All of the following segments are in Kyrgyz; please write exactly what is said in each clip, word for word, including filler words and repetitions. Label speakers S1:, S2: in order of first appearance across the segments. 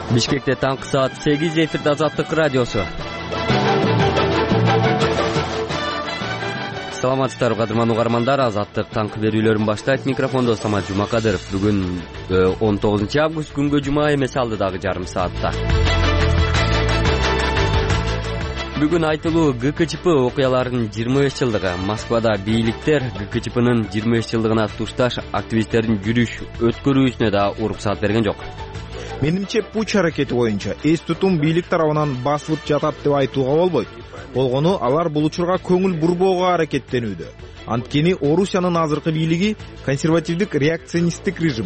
S1: Бишкекте таңкы саат сегиз, эфирде Азаттык радиосу. Саламатсыздарбы, кадырман угармандар. Азаттык таңкы берүүлөрүн баштайт. Микрофондо Самат Жумакадыров. Бүгүн он тогузунчу август, күнгө жума эмес, алдыдагы жарым саатта. Бүгүн айтылуу Г К Ч П окуяларынын жыйырма беш жылдыгы. Москвада бийликтер Г К Ч П'нын жыйырма беш жылдыгына тушташ активисттердин жүрүш өткөрүүсүнө да уруксат берген жок.
S2: Менимче пуч аракети боюнча эс тутум бийлик тарабынан басылып жатат деп айтууга болбойт. Болгону алар бул учурга көңүл бурбоого аракеттенүүдө. Анткени Орусиянын азыркы бийлиги консервативдик реакционисттик режим.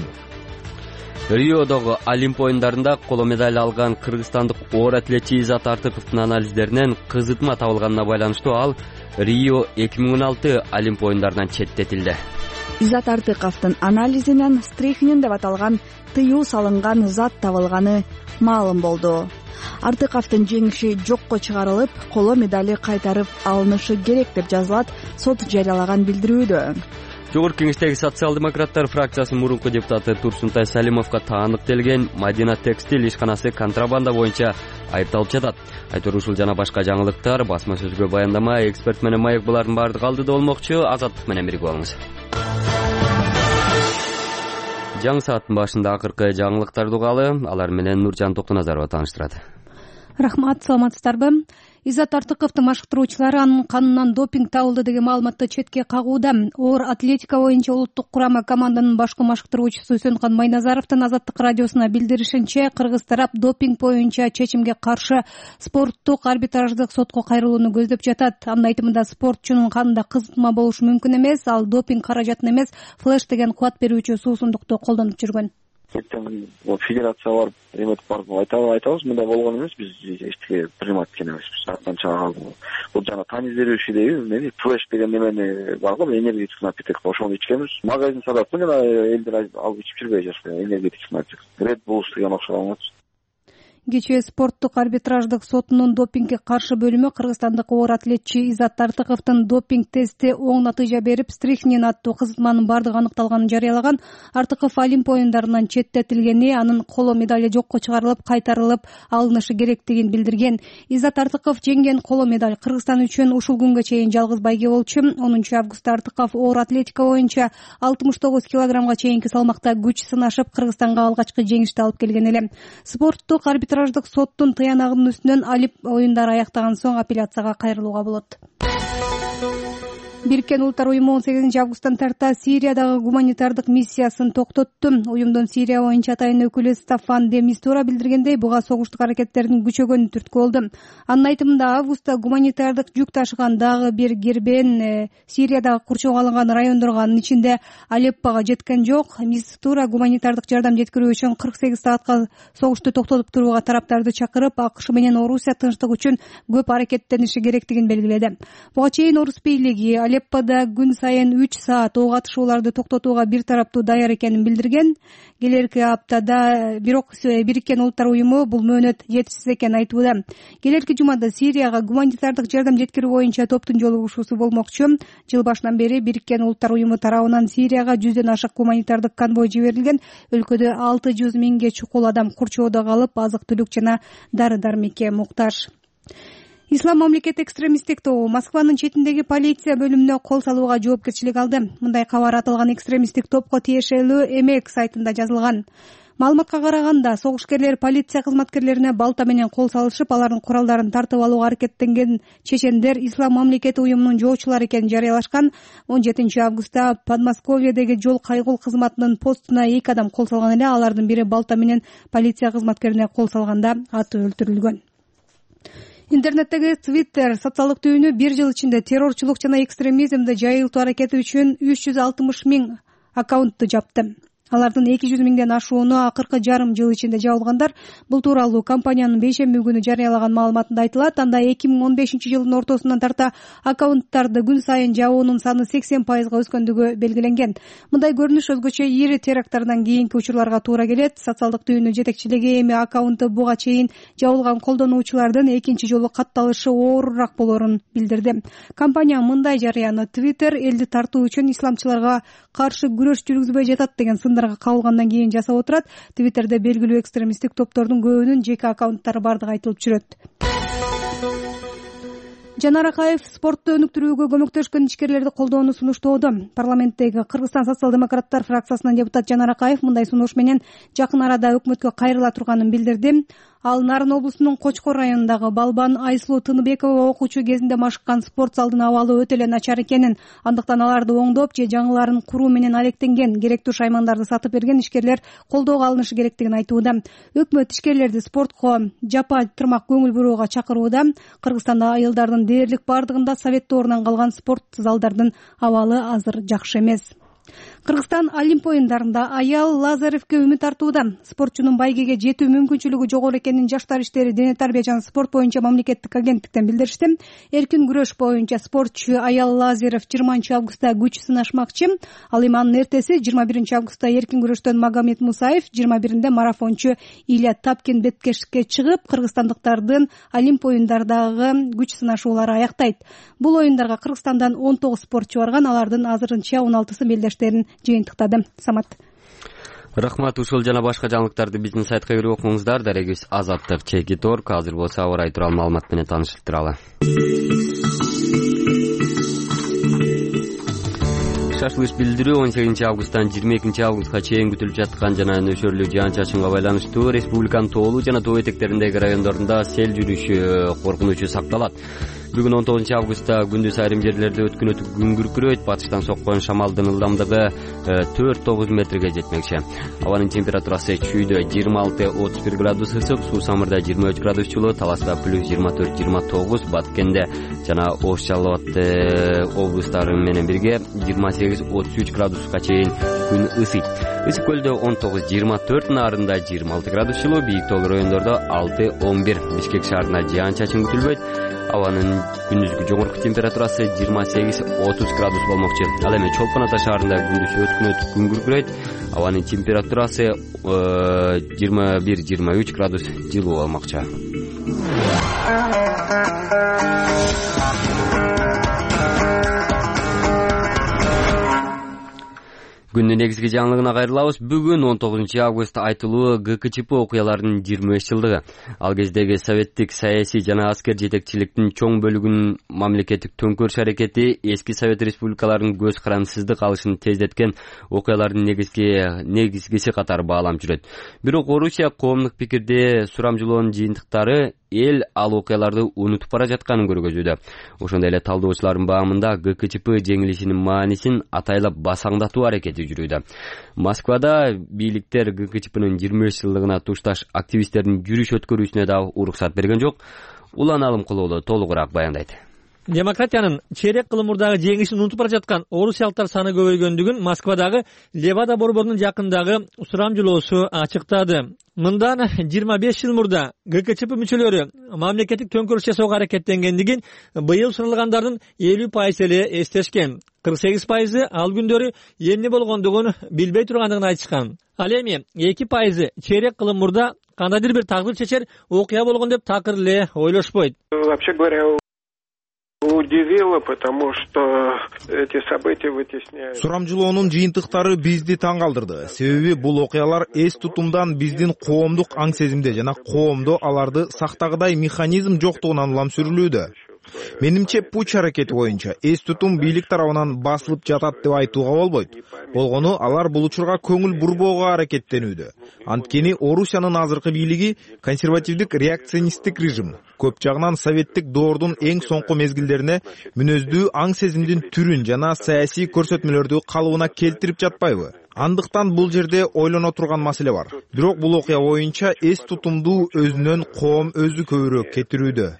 S1: Риодогу Олимп оюндарында коло медаль алган кыргызстандык оор атлетчи Изат Артыковдун анализдеринен кызытма табылганына байланыштуу ал Рио эки миң он алты Олимп оюндарынан четтетилди.
S3: Изат Артыковдун анализинен стрихнин деп аталган тыюу салынган зат табылганы маалым болду. Артыковдун жеңиши жокко чыгарылып, коло медали кайтарып алынышы керек деп жазылат сот жарыялаган билдирүүдө.
S1: Жогорку Кеңештеги социал-демократтар фракциясынын мурунку депутаты Турсунтай Салимовго таандыктелген Мадина текстиль ишканасы контрабанда боюнча айыпталып жатат. Айтор ушул жана башка жаңылыктар басма сөзгө баяндама, эксперт менен маек булардын баардыгы алдыда болмокчу. Азаттык менен бирге болуңуз. Жаңы сааттын башында акыркы жаңылыктарды угалы, алар менен Нуржан Токтоназарова тааныштырат.
S4: Рахмат, саламатсыздарбы? Изат Артыковдун машыктыруучулары анын канынан допинг табылды деген маалыматты четке кагууда. Оор атлетика боюнча улуттук курама команданын башкы машыктыруучусу Өсөнкан Майназаровдун Азаттык радиосуна билдиришинче, кыргыз тарап допинг боюнча чечимге каршы спорттук арбитраждык сотко кайрылууну көздөп жатат. Анын айтымында спортчунун канында кызытма болушу мүмкүн эмес, ал допинг каражатын эмес, флеш деген кубат берүүчү суусундукту колдонуп жүргөн.
S5: Ертең федерация барып, эметип барып айтабыз, мындай болгон эмес, биз эчтеке примат эткен эмеспиз. Аттан чыга калды. Бул жана тонус берүүчүдеги эмне, флеш деген немени бар го, энергетик напиток, ошону ичкенбиз. Магазин сатат, жана элдер алып ичип жүрбөй жатышты, энергетик напиток. Red Bull деген окшогон.
S4: Кечээ спорттук арбитраждык сотунун допингге каршы бөлүмү кыргызстандык оор атлетчи Изат Артыковдун допинг тести оң натыйжа берип, стрихнин аттуу кызытманын бардыгы аныкталганын жарыялаган. Артыков Олимп оюндарынан четтетилгени, анын коло медали жокко чыгарылып, кайтарылып алынышы керектигин билдирген. Изат Артыков жеңген коло медаль Кыргызстан үчүн ушул күнгө чейин жалгыз байге болчу. онунчу августта Артыков оор атлетика боюнча алтымыш тогуз килограммга чейинки салмакта күч сынашып, Кыргызстанга алгачкы жеңишти алып келген эле. Спорттук арбитраждык соттун тыянагынын үстүнөн Олимп оюндары аяктаган соң апелляцияга кайрылууга болот. Бириккен Улуттар уюму он сегизинчи августтан тарта Сириядагы гуманитардык миссиясын токтотту. Уюмдун Сирия боюнча атайын өкүлү Стаффан де Мистура билдиргендей, буга согуштук аракеттердин күчөгөнү түрткү болду. Анын айтымында, августта гуманитардык жүк ташыган дагы бир кербен э, Сириядагы курчоого алынган райондорго, анын ичинде Алеппого жеткен жок. Мистура гуманитардык жардам жеткирүү үчүн кырк сегиз саатка согушту токтотуп турууга тараптарды чакырып, АКШ менен Орусия тынчтык үчүн көп аракеттениши керектигин белгиледи. Буга чейин Орус бийлиги Алеппода күн сайын үч саат ок атышууларды токтотууга бир тараптуу даяр экенин билдирген. Келерки аптада бирок Бириккен Улуттар уюму бул мөөнөт жетишсиз экенин айтууда. Келерки жумада Сирияга гуманитардык жардам жеткирүү боюнча топтун жолугушуусу болмокчу. Жыл башынан бери Бириккен Улуттар уюму тарабынан Сирияга жүздөн ашык гуманитардык конвой жиберилген. Өлкөдө алты жүз миңге чукул адам курчоодо калып, азык-түлүк жана дары-дармекке муктаж. Ислам мамлекет экстремисттик тобу Москванын четиндеги полиция бөлүмүнө кол салууга жоопкерчилик алды. Мындай кабар аталган экстремисттик топко тиешелүү Эмек сайтында жазылган. Маалыматка караганда, согушкерлер полиция кызматкерлерине балта менен кол салышып, алардын куралдарын тартып алууга аракеттенген чечендер Ислам мамлекети уюмунун жоочулары экенин жарыялашкан. он жетинчи августта Подмосковьедеги жол кайгул кызматынын постуна эки адам кол салган эле. Алардын бири балта менен полиция кызматкерине кол салганда аты өлтүрүлгөн. Интернеттеги Twitter социалдык түйүнү бир жыл ичинде террорчулук жана экстремизмди жайылтуу аракети үчүн үч жүз алтымыш миң аккаунтту жапты. Алардын эки жүз миңден ашууну акыркы жарым жыл ичинде жабылгандар. Бул тууралуу компаниянын бейшемби күнү жарыялаган маалыматында айтылат. Анда эки миң он бешинчи жылдын ортосунан тарта аккаунттарды күн сайын жабуунун саны сексен пайызга өскөндүгү белгиленген. Мындай көрүнүш өзгөчө ири теракттардан кийинки учурларга туура келет. Социалдык түйүнүн жетекчилиги эми аккаунты буга чейин жабылган колдонуучулардын экинчи жолу катталышы оорураак болоорун билдирди. Компания мындай жарыяны Twitter элди тартуу үчүн исламчыларга каршы күрөш жүргүзбөй жатат деген сындар жарандарга кабылгандан кийин жасап отурат. Твиттерде белгилүү экстремисттик топтордун көбүнүн жеке аккаунттары бардыгы айтылып жүрөт. Жанар Акаев спортто өнүктүрүүгө көмөктөшкөн ишкерлерди колдоону сунуштоодо. Парламенттеги Кыргызстан социал-демократтар фракциясынын депутат Жанар Акаев мындай сунуш менен жакын арада өкмөткө кайрыла турганын билдирди. Ал Нарын облусунун Кочкор районундагы Балбан Айсулуу Тыныбекова окуучу кезинде машыккан спорт залдын абалы өтө эле начар экенин, андыктан аларды оңдоп же жаңыларын куруу менен алектенген, керектүү шаймандарды сатып берген ишкерлер колдоого алынышы керектигин айтууда. Өкмөт ишкерлерди спортко жапа тырмак көңүл бурууга чакырууда. Кыргызстанда айылдардын дээрлик бардыгында совет доорунан калган спорт залдардын абалы азыр жакшы эмес. Кыргызстан Олимп оюндарында аял Лазаревке үмүт артууда. Спортчунун байгеге жетүү мүмкүнчүлүгү жогору экенин Жаштар иштери, дене тарбия жана спорт боюнча мамлекеттик агенттиктен билдиришти. Эркин күрөш боюнча спортчу аял Лазарев жыйырманчы августта күч сынашмакчы. Ал эми анын эртеси жыйырма биринчи августта эркин күрөштөн Магомед Мусаев, жыйырма биринде марафончу Илья Тапкин беткештикке чыгып, кыргызстандыктардын Олимп оюндарындагы күч сынашуулары аяктайт. Бул оюндарга Кыргызстандан он тогуз спортчу барган, алардын азырынча он алтысы мелдештерин жыйынтыктады. Самат.
S1: Рахмат. Ушул жана башка жаңылыктарды биздин сайтка кирип окуңуздар. Дарегибиз Азаттык Чеки Торг. Азыр болсо аба ырайы тууралуу маалымат менен таанышып туралы. Шашылыш билдирүү он сегизинчи августтан жыйырма экинчи августка чейин күтүлүп жаткан жана нөшөрлүү жаан-чачынга байланыштуу республиканын тоолуу жана тоо этектериндеги райондорунда сел жүрүшү коркунучу сакталат. Бүгүн он тогузунчу августта күндүз айрым жерлерде өткөн өтүп күн күркүрөйт. Батыштан соккон шамалдын ылдамдыгы төрт тогуз метрге жетмекчи. Абанын температурасы чүйдө жыйырма алты отуз бир градус ысык, Суу-Самырда жыйырма үч градус жылуу, Таласта плюс жыйырма төрт жыйырма тогуз, Баткенде жана Ош Жалал Абад облустары менен бирге жыйырма сегиз отуз үч градуска чейин күн ысыйт. Ысык көлдө он тогуз жыйырма төрт, Нарында жыйырма алты градус жылуу, бийик тоолуу райондордо алты он бир. Бишкек шаарында жаан-чачын күтүлбөйт. Абанын күндүзгү жогорку температурасы жыйырма сегиз отуз градус болмокчу. Ал эми Чолпон Ата шаарында күндүз өткөн өтүп күн күркүрөйт. Абанын температурасы жыйырма бир жыйырма үч градус жылуу болмокчу. Күндүн негизги жаңылыгына кайрылабыз. Бүгүн он тогузунчу август айтылуу ГКЧП окуяларынын жыйырма беш жылдыгы. Ал кездеги советтик саясий жана аскер жетекчиликтин чоң бөлүгүнүн мамлекеттик төңкөрүш аракети эски Совет республикаларынын көз карандысыздык алышын тездеткен окуялардын негизги негизгиси катары бааланып жүрөт. Бирок Орусия коомдук пикирде сурамжылоонун жыйынтыктары эл ал окуяларды унутуп бара жатканын көргөзүүдө. Ошондой эле талдоочулардын баамында ГКЧП жеңилишинин маанисин атайлап басаңдатуу аракети жүрүүдө. Москвада бийликтер ГКЧПнын жыйырма беш жылдыгына тушташ активисттердин жүрүш өткөрүүсүнө да уруксат берген жок. Улан Алымкулуулу толугураак баяндайт.
S6: Демократиянын чейрек кылым мурдагы жеңишин унутуп бара жаткан орусиялыктар саны көбөйгөндүгүн Москвадагы Левада борборунун жакындагы сурамжылоосу ачыктады. Мындан жыйырма беш жыл мурда ГКЧП мүчөлөрү мамлекеттик төңкөрүш жасоого аракеттенгендигин быйыл суралгандардын элүү пайызы эле эстешкен. кырк сегиз пайызы ал күндөрү эмне болгондугун билбей тургандыгын айтышкан. Ал эми эки пайызы чейрек кылым мурда кандайдыр бир тагдыр чечер окуя болгон деп такыр эле ойлошпойт.
S7: Вообще говоря, удивило, потому что эти события вытесняют.
S2: Сурамжылоонун жыйынтыктары бизди таң калтырды. Себеби бул окуялар эс тутумдан биздин коомдук аң сезимде жана коомдо аларды сактагыдай механизм жоктугунан улам сүрүлүүдө. Менимче пуч аракети боюнча эс тутум бийлик тарабынан басылып жатат деп айтууга болбойт. Болгону алар бул учурга көңүл бурбоого аракеттенүүдө. Анткени Орусиянын азыркы бийлиги консервативдик реакционисттик режим. Көп жагынан советтик доордун эң соңку мезгилдерине мүнөздүү аң сезимдин түрүн жана саясий көрсөтмөлөрдү калыбына келтирип жатпайбы? Андыктан бул жерде ойлоно турган маселе бар. Бирок бул окуя боюнча эс тутумду өзүнөн коом өзү көбүрөөк кетирүүдө.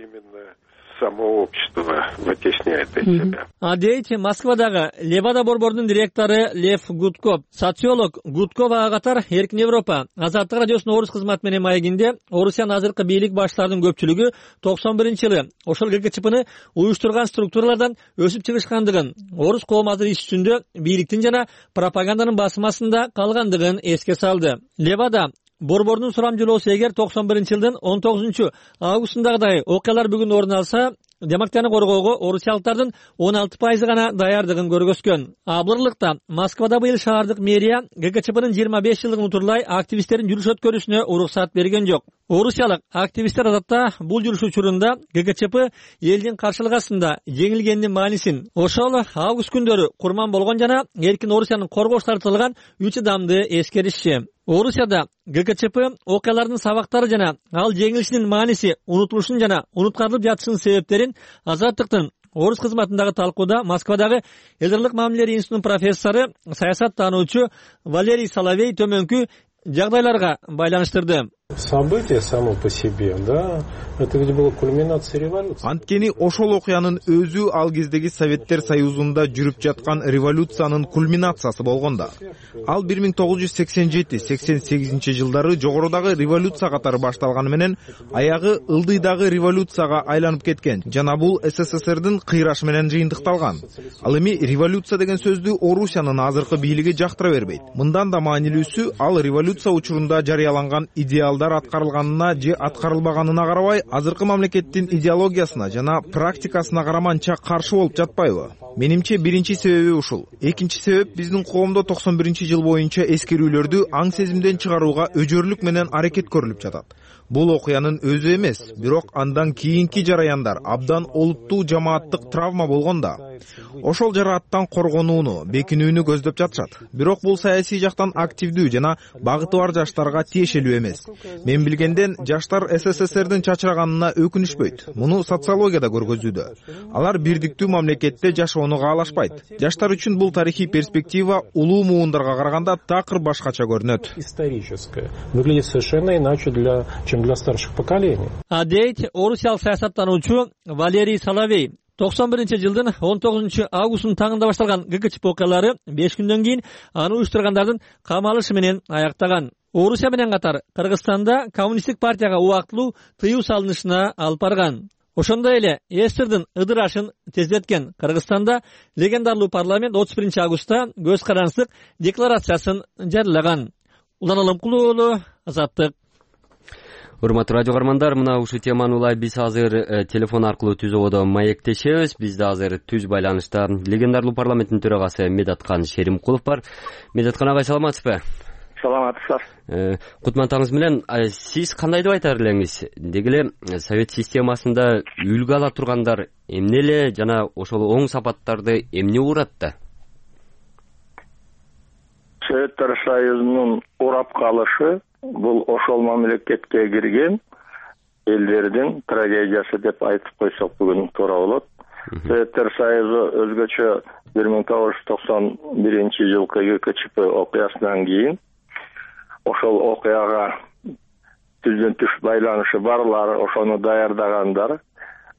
S7: Само общество вытесняет из себя.
S6: А дейт Москвадагы Левада борборунун директору Лев Гудков. Социолог Гудков ага катар Эркин Европа Азаттык радиосунун орус кызматы менен маегинде Орусиянын азыркы бийлик баштарынын көпчүлүгү токсон биринчи жылы ошол ГКЧПны уюштурган структуралардан өсүп чыгышкандыгын, орус коому азыр иш жүзүндө бийликтин жана пропаганданын басмасында калгандыгын эске салды. Левада борборунун сурамжылоосу эгер токсон биринчи жылдын он тогузунчу августундагыдай окуялар бүгүн орун алса, демократияны коргоого орусиялыктардын он алты пайызы гана даярдыгын көргөзгөн. Абырлыкта Москвада быйыл шаардык мэрия ГКЧПнын жыйырма беш жылдыгын утурлай активисттердин жүрүш өткөрүшүнө уруксат берген жок. Орусиялык активисттер адатта бул жүрүш учурунда ГКЧП элдин каршылык астында жеңилгендин маанисин, ошол август күндөрү курман болгон жана эркин Орусиянын коргош тартылган үч адамды эскеришчи. Орусияда ГКЧП окуялардын сабактары жана ал жеңилишинин мааниси, унутулушун жана унуткарылып жатышынын себептерин Азаттыктын орус кызматындагы талкууда Москвадагы элдерлик мамилелер институтунун профессору, саясаттануучу Валерий Соловей төмөнкү жагдайларга байланыштырды.
S8: Событие само по себе, да, это ведь была кульминация революции.
S2: Анткени ошол окуянын өзү ал кездеги Советтер Союзунда жүрүп жаткан революциянын кульминациясы болгондо. Ал бир миң тогуз жүз сексен жети сексен сегизинчи жылдары жогорудагы революция катары башталганы менен аягы ылдыйдагы революцияга айланып кеткен жана бул СССРдин кыйрашы менен жыйынтыкталган. Ал эми революция деген сөздү Орусиянын азыркы бийлиги жактыра бербейт. Мындан да маанилүүсү, ал революция учурунда жарыяланган идеал аткарылганына же аткарылбаганына карабай, азыркы мамлекеттин идеологиясына жана практикасына караманча каршы болуп жатпайбы? Менимче биринчи себеби ушул. Экинчи себеп, биздин коомдо токсон биринчи жыл боюнча эскерүүлөрдү аң сезимден чыгарууга өжөрлүк менен аракет көрүлүп жатат. Бул окуянын өзү эмес, бирок андан кийинки жараяндар абдан олуттуу жамааттык травма болгонда, ошол жарааттан коргонууну, бекинүүнү көздөп жатышат. Бирок бул саясий жактан активдүү жана багыты бар жаштарга тиешелүү эмес. Мен билгенден жаштар СССРдин чачыраганына өкүнүшпөйт. Муну социологияда көргөзүүдө. Алар бирдиктүү мамлекетте жашоону каалашпайт. Жаштар үчүн бул тарыхый перспектива улуу муундарга караганда такыр башкача көрүнөт.
S8: Историческое. Выглядит совершенно иначе для чем для старших поколений.
S6: А дейт орусиялык саясаттануучу Валерий Соловей. токсон биринчи жылдын он тогузунчу августунун таңында башталган ГКЧП окуялары беш күндөн кийин аны уюштургандардын камалышы менен аяктаган. Орусия менен катар Кыргызстанда коммунисттик партияга убактылуу тыюу салынышына алып барган. Ошондой эле СССРдин ыдырашын тездеткен Кыргызстанда легендарлуу парламент отуз биринчи августта көз карандык декларациясын жарыялаган. Улан Алымкулуу уулу, Азаттык.
S1: Урматтуу радио каармандар, мына ушул теманы улай биз азыр э, телефон аркылуу түз ободо маектешебиз. Бизде азыр түз байланышта легендарлуу парламенттин төрагасы Медаткан Шеримкулов бар. Медаткан агай, саламатсызбы?
S5: Саламатсыздар.
S1: Э, Кутмандыгыңыз менен сиз кандай деп айтар элеңиз? Деги эле совет системасында үлгү ала тургандар эмне эле жана ошол оң сапаттарды эмне ууратты?
S9: Советтер Союзунун урап калышы бул ошол мамлекетке кирген элдердин трагедиясы деп айтып койсок бүгүн туура болот. Советтер Союзу өзгөчө бир миң тогуз жүз токсон биринчи жылкы ГКЧП окуясынан кийин ошол окуяга түздөн түш байланышы барлар, ошону даярдагандар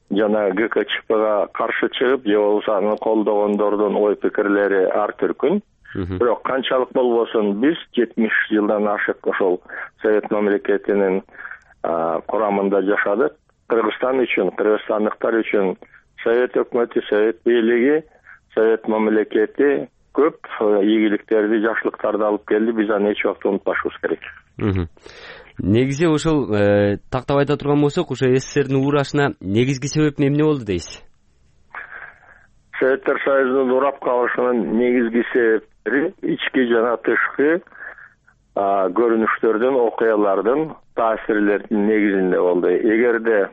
S9: жана ГКЧПга каршы чыгып, же болбосо аны колдогондордун ой пикирлери ар түркүн. Бирок канчалык болбосун биз жетимиш жылдан ашык ошол совет мамлекетинин курамында жашадык. Кыргызстан үчүн, кыргызстандыктар үчүн совет өкмөтү, совет бийлиги, совет мамлекети көп ийгиликтерди, жакшылыктарды алып келди. Биз аны эч убакта унутпашыбыз керек.
S1: Негизи ошол тактап айта турган болсок, ошо СССРдин уурашына негизги себеп эмне болду дейсиз?
S9: Советтер Союзунун урап калышынын негизги себептери ички жана тышкы көрүнүштөрдүн, окуялардын, таасирлердин негизинде болду. Эгерде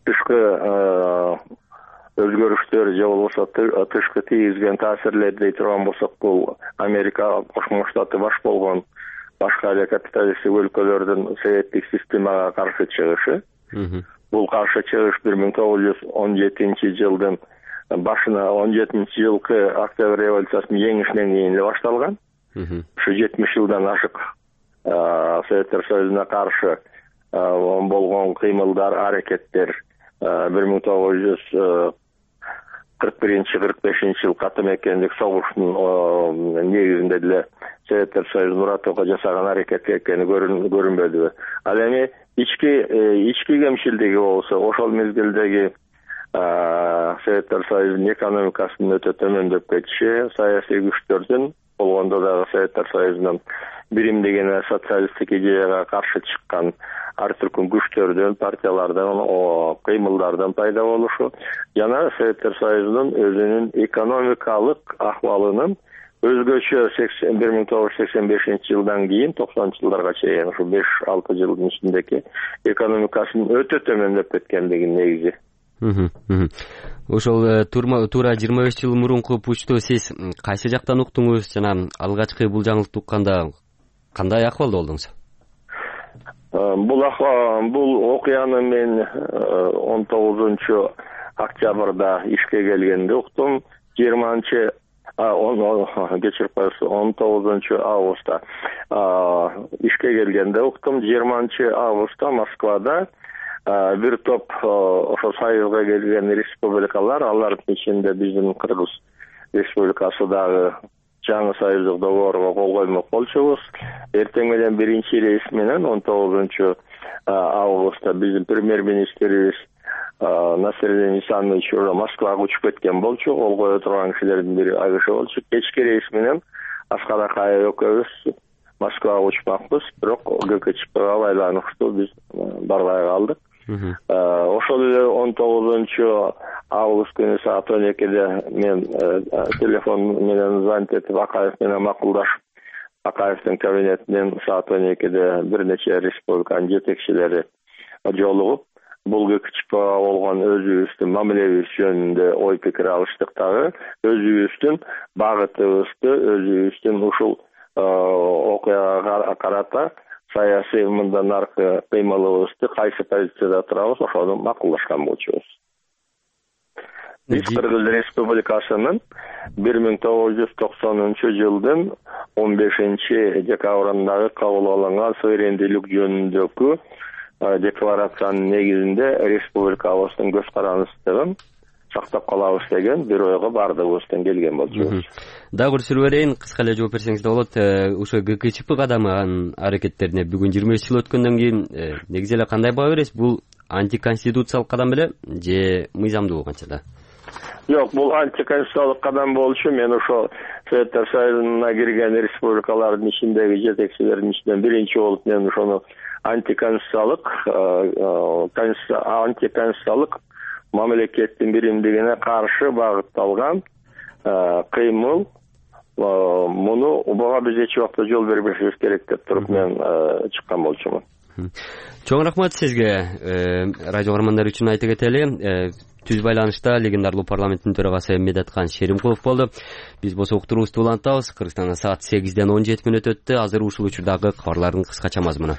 S9: тышкы өзгөрүштөр же болбосо тышкы тийгизген таасирлер дей турган болсок, бул Америка Кошмо Штаты баш болгон башка эле капиталисттик өлкөлөрдүн советтик системага каршы чыгышы. Бул каршы чыгыш бир миң тогуз жүз он жетинчи жылдын башына, он жетинчи жылкы Октябрь революциясынын жеңишинен кийин эле башталган. Ушу жетимиш жылдан ашык Советтер Союзуна каршы болгон кыймылдар, аракеттер бир миң тогуз жүз кырк биринчи кырк бешинчи жыл каты мекендик согуштун негизинде деле Советтер Союзун уратууга жасаган аракет экени көрүнбөдүбү? Ал эми ички ички кемшилдиги болсо, ошол мезгилдеги Советтер Союзунун экономикасынын өтө төмөндөп кетиши, саясий күчтөрдүн болгондо дагы Советтер Союзунун биримдеген социалисттик идеяга каршы чыккан ар түркүн күчтөрдөн, партиялардан, кыймылдардан пайда болушу жана Советтер Союзунун өзүнүн экономикалык акыбалынын өзгөчө бир миң тогуз жүз сексен бешинчи жылдан кийин токсонунчу жылдарга чейин ушу беш алты жылдын ичиндеги экономикасынын өтө төмөндөп кеткендиги негизи.
S1: Ошол туура жыйырма беш жыл мурунку пучту сиз кайсы жактан уктуңуз жана алгачкы бул жаңылыкты укканда кандай акыбалда болдуңуз?
S9: Бул бул окуяны мен он тогузунчу октябрда ишке келгенде уктум. жыйырманчы кечирип коесуз, он тогузунчу августта ишке келгенде уктум. жыйырманчы августта Москвада бир топ ошо Союзга келген республикалар, алардын ичинде биздин Кыргыз Республикасы дагы жаңы союздук договорго кол коймок болчубуз. Эртең менен биринчи рейс менен он тогузунчу августта биздин премьер-министрибиз Насирдин Исанович уже Москвага учуп кеткен болчу. Кол кое турган кишилердин бири ал киши болчу. Кечки рейс менен Аскар Акаев экөөбүз Москвага учпакпыз, бирок ГКЧПга байланыштуу биз барбай калдык. Ошол эле он тогузунчу август күнү саат он экиде мен телефон менен звонить этип Акаев менен макулдашып, Акаевдин кабинетинен саат он экиде бир нече республиканын жетекчилери жолугуп, бул ГКЧПга болгон өзүбүздүн мамилебиз жөнүндө ой пикир алыштык дагы, өзүбүздүн багытыбызды, өзүбүздүн ушул окуяга карата саясий мындан аркы кыймылыбызды кайсы позицияда турабыз, ошону макулдашкан болчубуз. Биз Кыргыз Республикасынын бир миң тогуз жүз токсонунчу жылдын он бешинчи декабрындагы кабыл алынган суверендүүлүк жөнүндөгү декларациянын негизинде республикабыздын көз карандысыздыгын сактап калабыз деген бир ойго бардыгыбыздан келген болчубуз.
S1: Дагы бир суроо берейин, кыска эле жооп берсеңиз да болот. Ошо ГКЧП кадамын аракеттерине бүгүн жыйырма беш жыл өткөндөн кийин негизи эле кандай баа бересиз? Бул антиконституциялык кадам беле же мыйзамдуу канча да?
S9: Жок, бул антиконституциялык кадам болчу. Мен ошо Советтер Союзуна кирген республикалардын ичиндеги жетекчилердин ичинен биринчи болуп мен ошону антиконституциялык антиконституциялык мамлекеттин биримдигине каршы багытталган кыймыл, муну буга биз эч убакта жол бербешибиз керек деп туруп мен чыккан болчумун.
S1: Чоң рахмат сизге. Радио көрөрмандар үчүн айта кетели, түз байланышта легендарлуу парламенттин төрагасы Медеткан Шеримкулов болду. Биз болсо уктуруубузду улантабыз. Кыргызстанда саат сегизден он жети мүнөт өттү. Азыр ушул учурдагы кабарлардын кыскача мазмуну.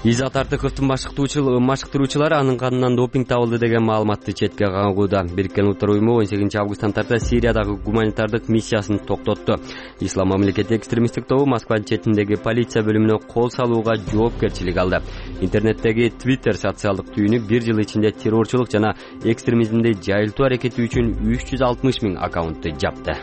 S1: Изат Артыковдун машыктыруучулары анын канынан допинг табылды деген маалыматты четке кагууда. Бириккен Улуттар уюму он сегизинчи августтан тарта Сириядагы гуманитардык миссиясын токтотту. Ислам мамлекети экстремисттик тобу Москванын четиндеги полиция бөлүмүнө кол салууга жоопкерчилик алды. Интернеттеги Twitter социалдык түйүнү бир жыл ичинде террорчулук жана экстремизмди жайылтуу аракети үчүн үч жүз алтымыш миң аккаунтту жапты.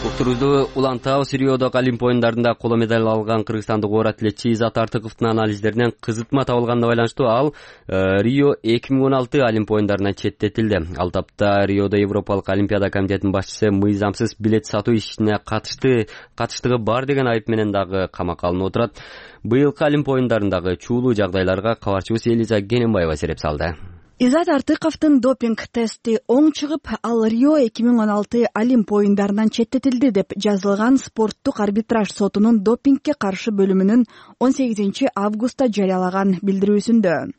S1: Уктурубузду улантабыз. Риодогу Олимп оюндарында коло медаль алган кыргызстандык оор атлетчи Изат Артыковдун анализдеринен кызытма табылганына байланыштуу ал Рио эки миң он алты Олимп оюндарынан четтетилди. Ал тапта Риодо Европалык Олимпиада комитетинин башчысы мыйзамсыз билет сатуу ишине катышты катыштыгы бар деген айып менен дагы камакка алынып отурат. Быйылкы Олимп оюндарындагы чуулуу жагдайларга кабарчыбыз Элиза Гененбаева сереп салды.
S3: Изат Артыковдун допинг тести оң чыгып, ал Рио эки миң он алты Олимп оюндарынан четтетилди деп жазылган спорттук арбитраж сотунун допингке каршы бөлүмүнүн он сегизинчи августта жарыялаган билдирүүсүндө.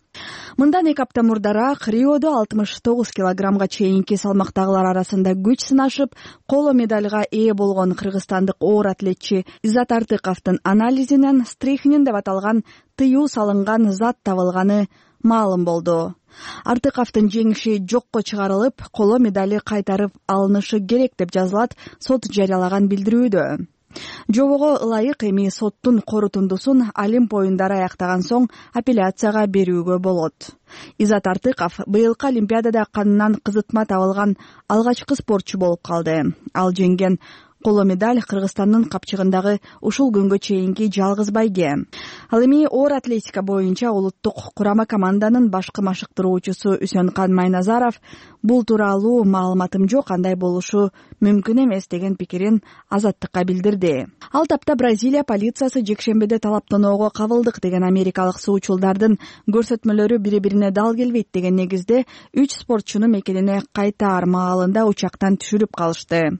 S3: Мындан эки апта мурдараак Риодо алтымыш тогуз килограммга чейинки салмактагылар арасында күч сынашып, коло медальга ээ болгон кыргызстандык оор атлетчи Изат Артыковдун анализинен стрихнин деп аталган тыюу салынган зат табылганы маалым болду. Артыковдун жеңиши жокко чыгарылып, коло медали кайтарып алынышы керек деп жазылат сот жарыялаган билдирүүдө. Жобого ылайык эми соттун корутундусун Олимп оюндары аяктаган соң апелляцияга берүүгө болот. Изат Артыков быйылкы Олимпиадада канынан кызытма табылган алгачкы спортчу болуп калды. Ал жеңген Коло медаль Кыргызстандын капчыгындагы ушул күнгө чейинки жалгыз байге. Ал эми оор атлетика боюнча улуттук курама команданын башкы машыктыруучусу Үсөнкан Майназаров бул тууралуу маалыматым жок, андай болушу мүмкүн эмес деген пикирин Азаттыкка билдирди. Ал тапта Бразилия полициясы жекшембиде талаптоноого кабылдык деген америкалык суучулдардын көрсөтмөлөрү бири-бирине дал келбейт деген негизде үч спортчуну мекенине кайтаар маалында учактан түшүрүп калышты.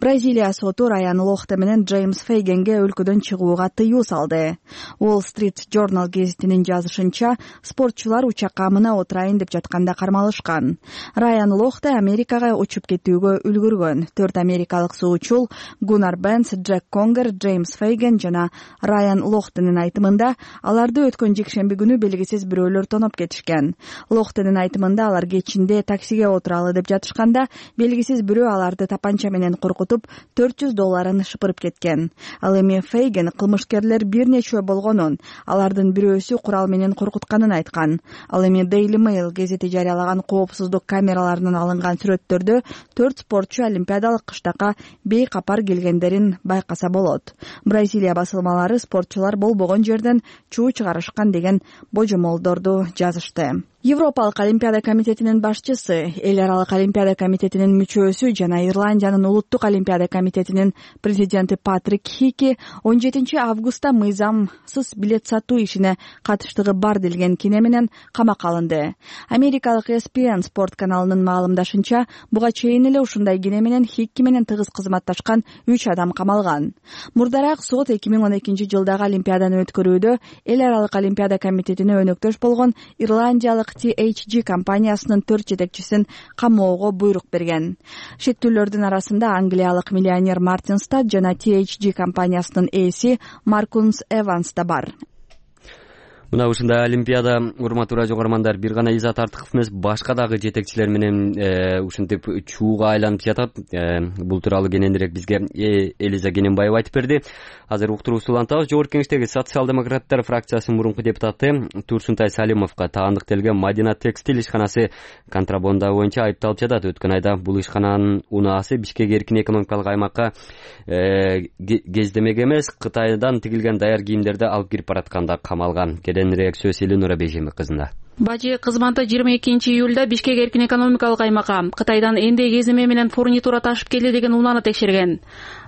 S3: Бразилия соту Райан Лохте менен Джеймс Фейгенге өлкөдөн чыгууга тыюу салды. Wall Street Journal гезитинин жазышынча, спортчулар учакка мына отурайын деп жатканда кармалышкан. Райан Лохте Америкага учуп кетүүгө үлгүргөн. Төрт америкалык суучул Гуннар Бенс, Джек Конгер, Джеймс Фейген жана Райан Лохтенин айтымында аларды өткөн жекшемби күнү белгисиз бирөөлөр тоноп кетишкен. Лохтенин айтымында алар кечинде таксиге отуралы деп жатышканда белгисиз бирөө аларды тапанча менен коркутуп төрт жүз долларын шыпырып кеткен. Ал эми Фейген кылмышкерлер бир нечөө болгонун, алардын бирөөсү курал менен коркутканын айткан. Ал эми Daily Mail гезити жарыялаган коопсуздук камераларынан алынган сүрөттөрдө төрт спортчу олимпиадалык кыштакка бейкапар келгендерин байкаса болот. Бразилия басылмалары спортчулар болбогон жерден чуу чыгарышкан деген божомолдорду жазышты. Европалык олимпиада комитетинин башчысы, Эл аралык олимпиада комитетинин мүчөсү жана Ирландиянын улуттук олимпиада комитетинин президенти Патрик Хики он жетинчи августта мыйзамсыз билет сатуу ишине катыштыгы бар делген кине менен камакка алынды. Америкалык эс пи эн спорт каналынын маалымдашынча, буга чейин эле ушундай кине менен Хики менен тыгыз кызматташкан үч адам камалган. Мурдараак сот эки миң он экинчи жылдагы олимпиаданы өткөрүүдө Эл аралык олимпиада комитетине өнөктөш болгон Ирландиялык ти эйч джи компаниясынын төрт жетекчисин камоого буйрук берген. Шектүүлөрдүн арасында англиялык миллионер Мартин Стад жана ти эйч джи компаниясынын ээси Маркунс Эванс да бар.
S1: Мына ушундай олимпиада, урматтуу радио көрөрмандар, бир гана Изат Артыков эмес, башка дагы жетекчилер менен ушинтип чууга айланып жатат. Бул тууралуу кененирээк бизге Элиза Кененбаева айтып берди. Азыр уктуруусу улантабыз. Жогорку кеңештеги социал-демократтар фракциясынын мурунку депутаты Турсунтай Салимовго таандыктелген Мадина текстиль ишканасы контрабанда боюнча айыпталып жатат. Өткөн айда бул ишкананын унаасы Бишкек эркин экономикалык аймакка кездемек эмес, Кытайдан тигилген даяр кийимдерди алып кирип баратканда камалган. Кененирээк сөз Элинура Бейжемик кызында.
S10: Бажы кызматы жыйырма экинчи июлда Бишкек эркин экономикалык аймакка Кытайдан энде кеземе менен фурнитура ташып келди деген унааны текшерген.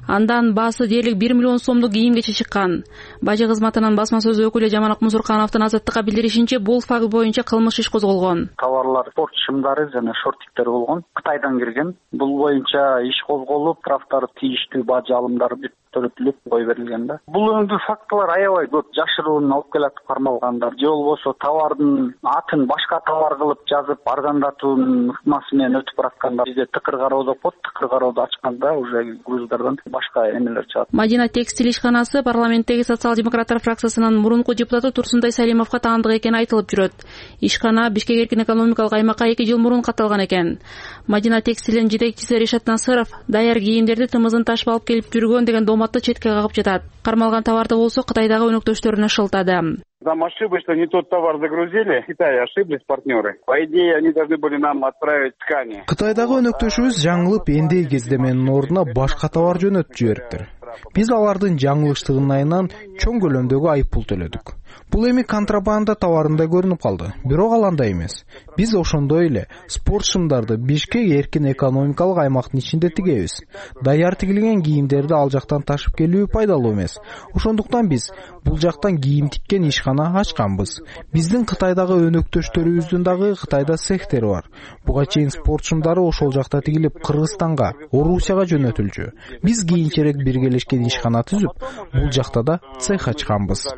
S10: Андан баасы дээрлик бир миллион сомдук кийимгече чыккан. Бажы кызматынын басма сөз өкүлү Жаманак Мусуркановдун Азаттыкка билдиришинче, бул факт боюнча кылмыш иш козголгон.
S11: Товарлар спорт шымдары жана шорттиктер болгон, Кытайдан кирген. Бул боюнча иш козголуп, тараптар тийиштүү бажы алымдары төлөтүлүп кой берилген да. Бул өңдүү фактылар аябай көп, жашыруун алып келатып кармалгандар, же болбосо товардын атын башка товар кылып жазып, арзандатуунун ыкмасы менен өтүп бараткандар. Бизде тыкыр кароо деп коет, тыкыр кароодо ачканда уже груздардан башка эмелер чыгат.
S10: Мадина текстиль ишканасы парламенттеги социал-демократтар фракциясынын мурунку депутаты Турсунтай Салимовго таандык экени айтылып жүрөт. Ишкана Бишкек эркин экономикалык аймакка эки жыл мурун катталган экен. Мадина текстилдин жетекчиси Решат Насыров даяр кийимдерди тымызын ташып алып келип жүргөн деген доматты четке кагып жатат. Кармалган товарды болсо Кытайдагы өнөктөштөрүнө шылтады.
S12: Там ошибочно не тот товар загрузили. В Китае ошиблись партнеры. По идее, они должны были нам отправить ткани.
S13: Кытайдагы өнөктөшүбүз жаңылып энди кездеменин ордуна башка товар жөнөтүп жибериптир. Биз алардын жаңылыштыгынын айынан чоң көлөмдөгү айыппул төлөдүк. Бул эми контрабанда товарында көрүнүп калды. Бирок ал андай эмес. Биз ошондой эле спорт шымдарды Бишкек эркин экономикалык аймактын ичинде тигебиз. Даяр тигилген кийимдерди ал жактан ташып келүү пайдалуу эмес. Ошондуктан биз бул жактан кийим тиккен ишкана ачканбыз. Биздин Кытайдагы өнөктөштөрүбүздүн дагы Кытайда цехтери бар. Буга чейин спорт шымдары ошол жакта тигилип Кыргызстанга, Орусияга жөнөтүлчү. Биз кийинчерээк биргелешкен ишкана түзүп, бул жакта да цех ачканбыз.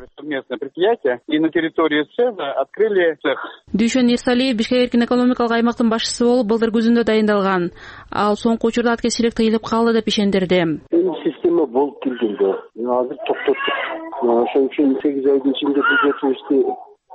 S12: И на территории цеха открыли цех.
S10: Дүйшөн Ирсалиев Бишкек эркин экономикалык аймактын башчысы болуп былтыр күзүндө дайындалган. Ал соңку учурда аткезчилик тыйылып калды деп ишендирди.
S14: Система болуп келген да. Азыр токтоттук. Ошон үчүн сегиз айдын ичинде бюджетибизди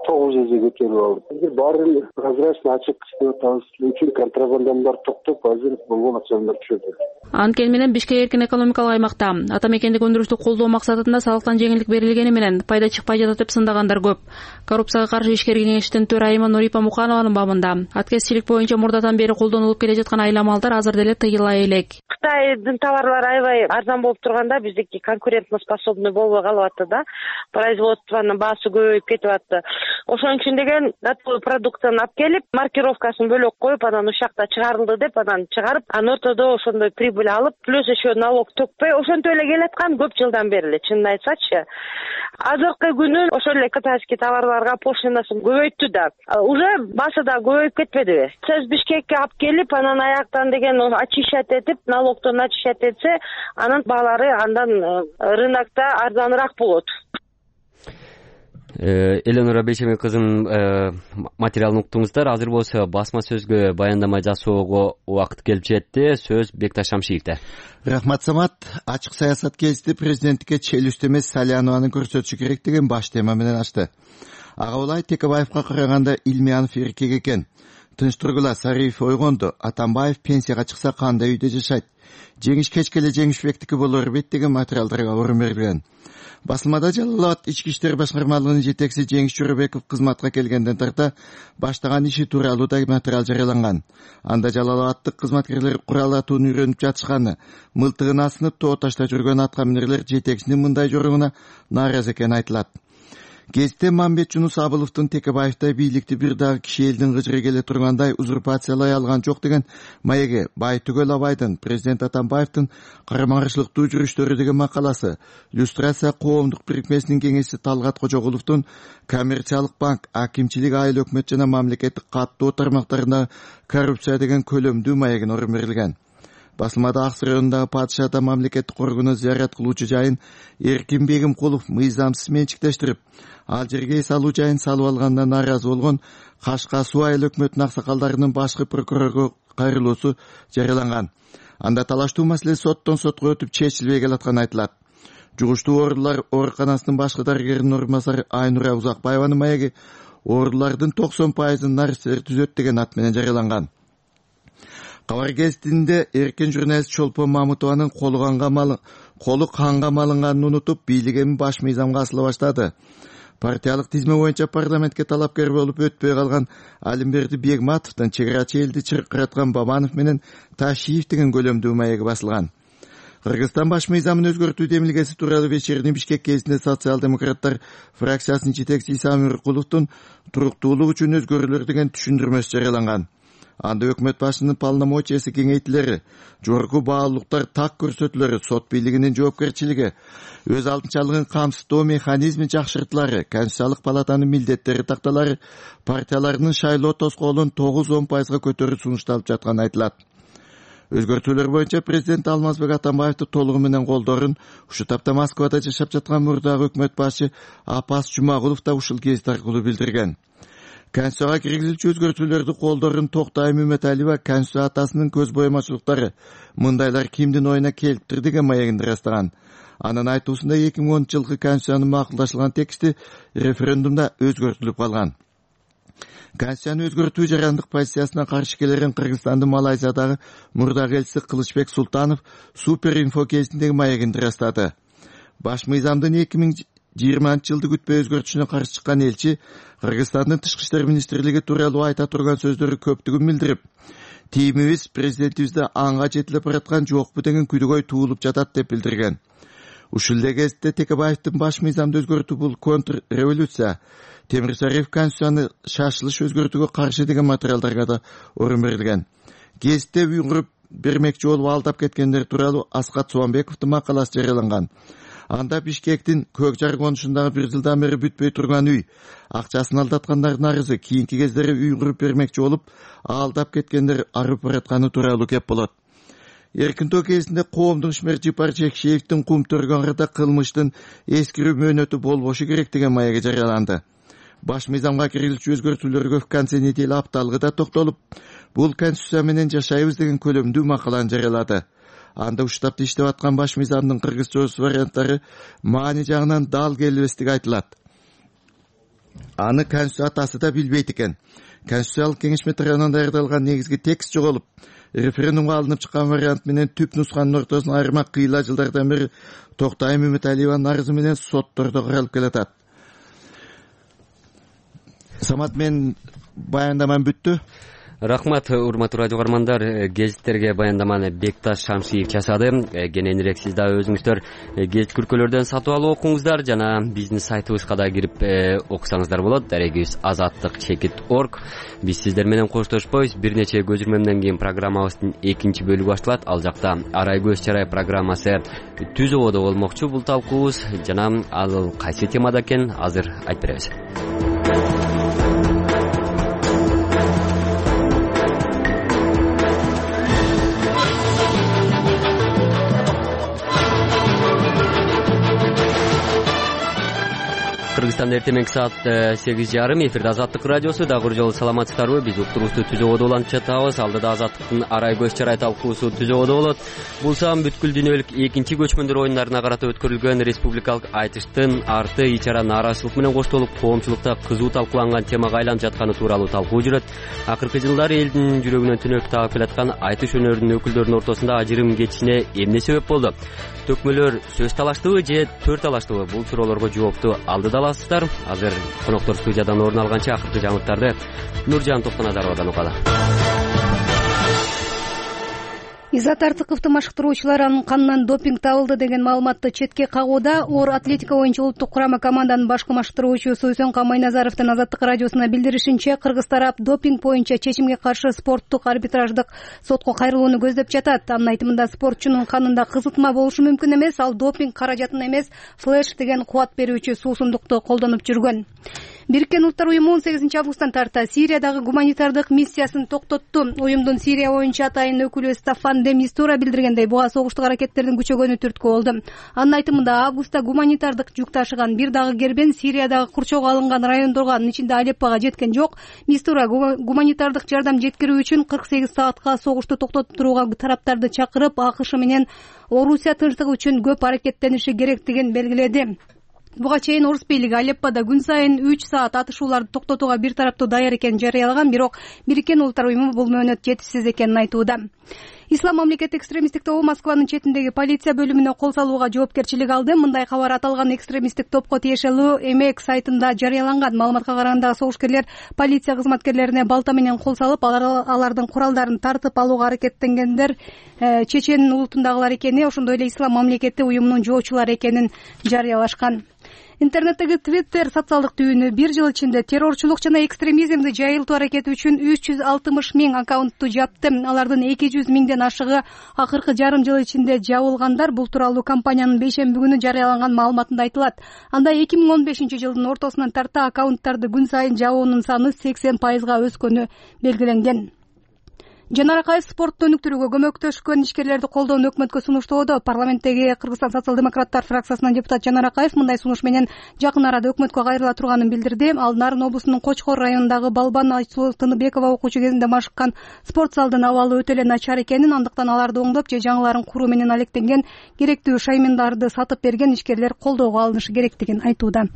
S14: тогуз эсе көтөрүп алды. Эгер баарын прозрачно ачык иштеп атабыз үчүн контрабандамдар токтоп, азыр болгон акчалар түшөдү.
S10: Анткени менен Бишкек эркин экономикалык аймакта ата мекендик өндүрүштү колдоо максатында салыктан жеңилдик берилгени менен пайда чыкпай жатат деп сындагандар көп. Коррупцияга каршы ишкер кеңештин төрайымы Нурипа Муканованын бабында аткезчилик боюнча мурдадан бери колдонулуп келе жаткан айламалдар азыр деле тыйыла элек.
S15: Кытайдын товарлары аябай арзан болуп турганда биздики конкурентно способный болбой калып атты да. Производствонун баасы көбөйүп кетип атты. Ошон үчүн деген готовый продукцияны алып келип, маркировкасын бөлөк коюп, анан ушакта чыгарылды деп, анан чыгарып, анан ортодо ошондой прибыль алып, плюс еще налог төкпөй, ошентип эле келаткан көп жылдан бери эле, чынын айтсачы. Азыркы күнү ошол эле кытайский товарларга пошлинасын көбөйттү да. Уже баасы да көбөйүп кетпедиби? Сиз Бишкекке алып келип, анан аяктан деген очищать этип, налогтон очищать этсе, анан баалары андан рынокто арзаныраак болот.
S1: Эленора Бейшемек кызынын материалын уктуңуздар. Азыр болсо басма сөзгө баяндама жасоого убакыт келип жетти. Сөз Бекташ Шамшиевде.
S16: Рахмат, Самат. Ачык саясат гезити президенттикке челюсть эмес Салянованы көрсөтүшү керек деген баш тема менен ачты. Ага улай Текебаевка караганда Илмиянов эркек экен. Тынч тургула, Сариев ойгонду. Атамбаев пенсияга чыкса кандай үйдө жашайт? Жеңиш кечке эле Жеңишбектики болор бет деген материалдарга орун берилген. Басылмада Жалал-Абад ички иштер башкармалыгынын жетекчиси Жеңиш Жоробеков кызматка келгенден тарта баштаган иши тууралуу да материал жарыяланган. Анда Жалал-Абадтык кызматкерлер курал атууну үйрөнүп жатышканы, мылтыгын асынып тоо ташта жүргөн аткаминерлер жетекчинин мындай жоругуна нааразы экени айтылат. Гезитте Мамбет Жунус Абыловдун Текебаевтай бийликти бир дагы киши элдин кыжыры келе тургандай узурпациялай алган жок деген маеги Байтүгөл Абайдын президент Атамбаевдин карама каршылыктуу жүрүштөрү деген макаласы, иллюстрация коомдук бирикмесинин кеңешчиси Талгат Кожогуловдун коммерциялык банк, акимчилик, айыл өкмөт жана мамлекеттик каттоо тармактарында коррупция деген көлөмдүү маегин орун берилген. Басылмада Аксы районундагы Падыша ата мамлекеттик коргону зыярат кылуучу жайын Эркин Бегимкулов мыйзамсыз менчиктештирип, ал жерге эс алуу жайын салып алгандан нааразы болгон Кашка Суу айыл өкмөтүнүн аксакалдарынын башкы прокурорго кайрылуусу жарыяланган. Анда талаштуу маселе соттон сотко өтүп чечилбей келатканы айтылат. Жугуштуу оорулар ооруканасынын башкы дарыгеринин орун басары Айнура Узакбаеванын маеги оорулардын токсон пайызын нарсер түзөт деген ат менен жарыяланган. Кабар гезитинде эркен журналист Чолпон Мамутованын колу канга малы колу канга малынганын унутуп, бийлигин баш мыйзамга асыла баштады. Партиялык тизме боюнча парламентке талапкер болуп өтпөй калган Алимберди Бегматовдон чек ара элди чыркыраткан Бабанов менен Ташиев деген көлөмдүү маеги басылган. Кыргызстан баш мыйзамын өзгөртүү демилгеси тууралуу вечерний Бишкек кезинде социал-демократтар фракциясынын жетекчиси Исам Нуркуловдун туруктуулук үчүн өзгөрүүлөр деген түшүндүрмөсү жарыяланган. Анда өкмөт башчынын полномочиясы кеңейтилери, жогорку баалуулуктар так көрсөтүлөрү, сот бийлигинин жоопкерчилиги, өз алдынчалыгын камсыздоо механизми жакшыртылары, Конституциялык палатанын милдеттери такталары, партияларынын шайлоо тоскоолун тогуз он пайызга көтөрүү сунушталып жатканы айтылат. Өзгөртүүлөр боюнча президент Алмазбек Атамбаевди толугу менен колдорун ушул тапта Москвада жашап жаткан мурдагы өкмөт башчы Апас Жумагулов да ушул гезит аркылуу билдирген. Конституцияга киргизилчү өзгөртүүлөрдү колдорун Токтay Мөмөталиева Конституция атасынын көз боемачылыктары мындайлар кимдин оюна келиптир деген маегинде ырастаган. Анын айтуусунда эки миң онунчу жылкы Конституциянын макулдашылган тексти референдумда өзгөртүлүп калган. Конституцияны өзгөртүү жарандык позициясына каршы келерин Кыргызстандын Малайзиядагы мурдагы элчиси Кылычбек Султанов Супер инфо кезиндеги маегинде ырастады. Баш мыйзамдын эки миң жыйырманчы жылды күтпөй өзгөртүшүнө каршы чыккан элчи Кыргызстандын Тышкы иштер министрлиги тууралуу айта турган сөздөрү көптүгүн билдирип, тийимибиз президентибизде анга жетилип бараткан жокпу деген күдөгөй туулуп жатат деп билдирген. Ушул эле кезде Текебаевдин баш мыйзамды өзгөртүү бул контр революция, Темирсариев Конституцияны шашылыш өзгөртүүгө каршы деген материалдарга да орун берилген. Гезитте уйгуруп бермекчи болуп алдап кеткендер тууралуу Аскат Суамбековдун макаласы жарыяланган. Анда Бишкектин көк жар конушундагы бир жылдан бери бүтпөй турган үй, акчасын алдаткандардын арызы, кийинки кездери уйгуруп бермекчи болуп алдап кеткендер арып баратканы тууралуу кеп болот. Эркинтөө кезинде коомдук ишмер Жипар Жекшеевдин кум төргөнүндө кылмыштын эскирүү мөөнөтү болбошу керек деген маеги жарыяланды. Баш мыйзамга киргизилчү өзгөртүүлөргө в конце недели апталыгы да токтолуп, бул Конституция менен жашайбыз деген көлөмдүү макаланы жарыялады. Анда ушул тапта иштеп аткан баш мыйзамдын кыргызча варианттары маани жагынан дал келбестиги айтылат. аны конституция атасы да билбейт экен. Конституциялык кеңешме тарабынан даярдалган негизги текст жоголуп, референдумга алынып чыккан вариант менен түп нусканын ортосун айырмак кыйла жылдардан бери Токтай Мөмөталиеванын арызы менен соттордо каралып келатат. Самат, мен баяндамам бүттү.
S1: Рахмат, урматтуу радио каармандар. Гезиттерге баяндаманы Бекташ Шамшиев жасады. Кененирээк сиз да өзүңүздөр гезит күркөлөрдөн сатып алып окуңуздар жана биздин сайтыбызга да кирип окусаңыздар болот. Дарегибиз азаттык чекит точка орг. Биз сиздер менен коштошпойбуз. Бир нече көзүрмөмдөн кийин программабыздын экинчи бөлүгү башталат. Ал жакта Арай көз чарай программасы түз ободо болмокчу. Бул талкуубуз жана ал кайсы темада экен азыр айтып беребиз. Кыргызстанда эртең саат сегиз жарым эфирде Азаттык радиосу. Дагы бир жолу саламатсыздарбы? Биз уктурубузду түз ободо улантып жатабыз. Алдыда Азаттыктын Арай көз чарай талкуусу түз ободо болот. Бул саам бүткүл дүйнөлүк экинчи көчмөндөр оюндарына карата өткөрүлгөн республикалык айтыштын арты ичара нааразычылык менен коштолуп, коомчулукта кызуу талкууланган темага айланып жатканы тууралуу талкуу жүрөт. Акыркы жылдары элдин жүрөгүнө түнөк тагып келаткан айтыш өнөрүнүн өкүлдөрүнүн ортосунда ажырым кетишине эмне себеп болду? Төкмөлөр сөз талаштыбы же төр талаштыбы? Бул суроолорго жоопту алдыда аласыздар. Азыр коноктор студиядан орун алганча акыркы жаңылыктарды Нуржан Токтоназаровадан угалы.
S4: Изат Артыковдун машыктыруучуларынын канынан допинг табылды деген маалыматты четке кагууда оор атлетика боюнча улуттук курама команданын башкы машыктыруучусу Үсөнкан Майназаровдун Азаттык радиосуна билдиришинче, кыргыз тарап допинг боюнча чечимге каршы спорттук арбитраждык сотко кайрылууну көздөп жатат. Анын айтымында, спортчунун канында кызытма болушу мүмкүн эмес, ал допинг каражатын эмес, флеш деген кубат берүүчү суусундукту колдонуп жүргөн. Бириккен Улуттар уюму он сегизинчи августтан тарта Сириядагы гуманитардык миссиясын токтотту. Уюмдун Сирия боюнча атайын өкүлү Стаффан де Мистура билдиргендей, буга согуштук аракеттердин күчөгөнү түрткү болду. Анын айтымында, августта гуманитардык жүк ташыган бир дагы кербен Сириядагы курчоого алынган райондорго, анын ичинде Алеппого жеткен жок. Мистура гуманитардык жардам жеткирүү үчүн кырк сегиз саатка согушту токтотуп турууга тараптарды чакырып, АКШ менен Орусия тынчтыгы үчүн көп аракеттениши керектигин белгиледи. Буга чейин орус бийлиги Алеппода күн сайын үч саат атышууларды токтотууга бир тараптуу даяр экенин жарыялаган, бирок Бириккен Улуттар уюму бул мөөнөт жетишсиз экенин айтууда. Ислам мамлекети экстремисттик тобу Москванын четиндеги полиция бөлүмүнө кол салууга жоопкерчилик алды. Мындай кабар аталган экстремисттик топко тиешелүү Эмек сайтында жарыяланган. Маалыматка караганда, согушкерлер полиция кызматкерлерине балта менен кол салып, алардын куралдарын тартып алууга аракеттенгендер чечен улутундагылар экени, ошондой эле Ислам мамлекети уюмунун жоочулары экенин жарыялашкан. Интернеттеги Twitter социалдык түйүнү бир жыл ичинде террорчулук жана экстремизмди жайылтуу аракети үчүн үч жүз алтымыш миң аккаунтту жапты. Алардын эки жүз миңден ашыгы акыркы жарым жыл ичинде жабылгандар. Бул тууралуу компаниянын бейшемби күнү жарыялаган маалыматында айтылат. Анда эки миң он бешинчи жылдын ортосунан тарта аккаунттарды күн сайын жабуунун саны сексен пайызга өскөнү белгиленген. Жанар Акаев спортту өнүктүрүүгө көмөктөшкөн ишкерлерди колдоону өкмөткө сунуштоодо. Парламенттеги Кыргызстан социал-демократтар фракциясынын депутат Жанар Акаев мындай сунуш менен жакын арада өкмөткө кайрыла турганын билдирди. Ал Нарын облусунун Кочкор районундагы Балбан Айсулуу Тыныбекова окуучу кезинде машыккан спорт залдын абалы өтө эле начар экенин, андыктан аларды оңдоп же жаңыларын куруу менен алектенген, керектүү шаймындарды сатып берген ишкерлер колдоого алынышы керектигин айтууда.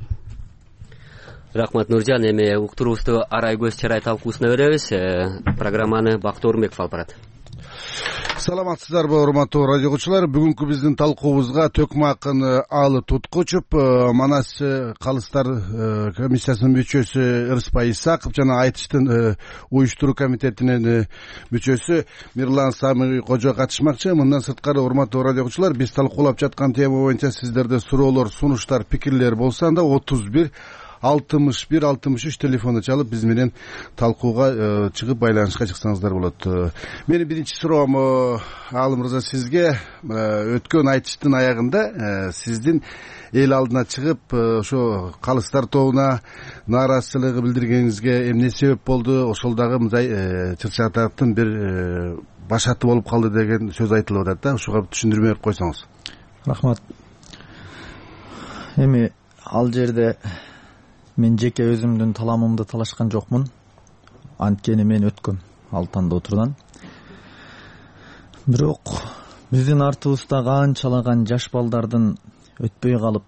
S1: Рахмат, Нуржан. Эми уктурубузду Арай көз чарай талкуусуна беребиз. Программаны Бактор Орунбеков алып барат.
S17: Саламатсыздарбы, урматтуу радио угуучулар. Бүгүнкү биздин талкуубузга Төкмакын Алы Туткучуп, Манас калыстар комиссиясынын мүчөсү Ырыспай Исаков жана айтыштын уюштуруу комитетинин мүчөсү Мирлан Самый Кожо катышмакчы. Мындан сырткары, урматтуу радио угуучулар, биз талкуулап жаткан тема боюнча сиздерде суроолор, сунуштар, пикирлер болсо, анда отуз бир алтымыш бир алтымыш үч телефонду чалып биз менен талкууга чыгып байланышка чыксаңыздар болот. Менин биринчи суроом, Алым мырза, сизге өткөн айтыштын аягында сиздин эл алдына чыгып ошо калыстар тобуна нааразычылык билдиргениңизге эмне себеп болду? Ошол дагы мындай чыр-чатактын бир башаты болуп калды деген сөз айтылып атат да. Ушуга түшүндүрмө берип койсоңуз.
S18: Рахмат. Эми ал жерде мен жеке өзүмдүн таламымды талашкан жокмун. Анткени мен өткөм ал тандоотурдан. Бирок биздин артыбызда канчалаган жаш балдардын өтпөй калып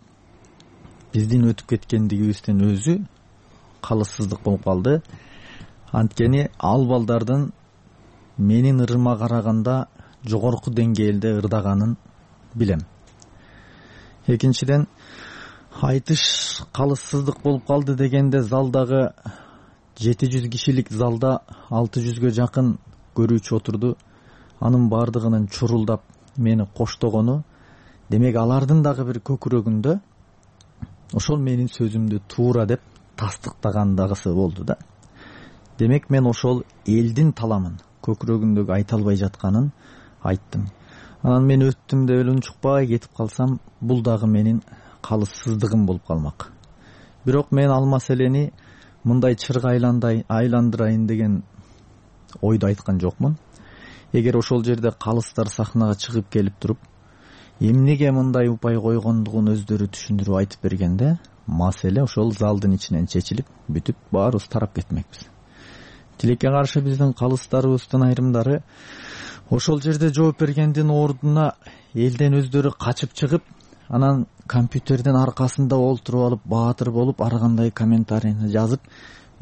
S18: биздин өтүп кеткендигибиздин өзү калыссыздык болуп калды. Анткени ал балдардын менин ырыма караганда жогорку деңгээлде ырдаганын билем. Экинчиден, айтыш калыссыздык болуп калды дегенде залдагы жети жүз кишилик залда алты жүзгө жакын көрүүчү отурду. Анын бардыгынын чурулдап мени коштогону, демек алардын дагы бир көкүрөгүндө ошол менин сөзүмдү туура деп тастыктагандагысы болду да. Демек мен ошол элдин таламын көкүрөгүндөгү айта албай жатканын айттым. Анан мен өттүм деп эле унчукпай кетип калсам, бул дагы менин калыссыздыгым болуп калмак. Бирок мен ал маселени мындай чырга айландырайын деген ойду айткан жокмун. Эгер ошол жерде калыстар сахнага чыгып келип туруп, эмнеге мындай упай койгондугун өздөрү түшүндүрүп айтып бергенде, маселе ошол залдын ичинен чечилип, бүтүп баарыбыз тарап кетмекпиз. Тилекке каршы биздин калыстарыбыздын айрымдары ошол жерде жооп бергендин ордуна элден өздөрү качып чыгып, анан компьютердин аркасында олтуруп алып, баатыр болуп, ар кандай комментарийни жазып,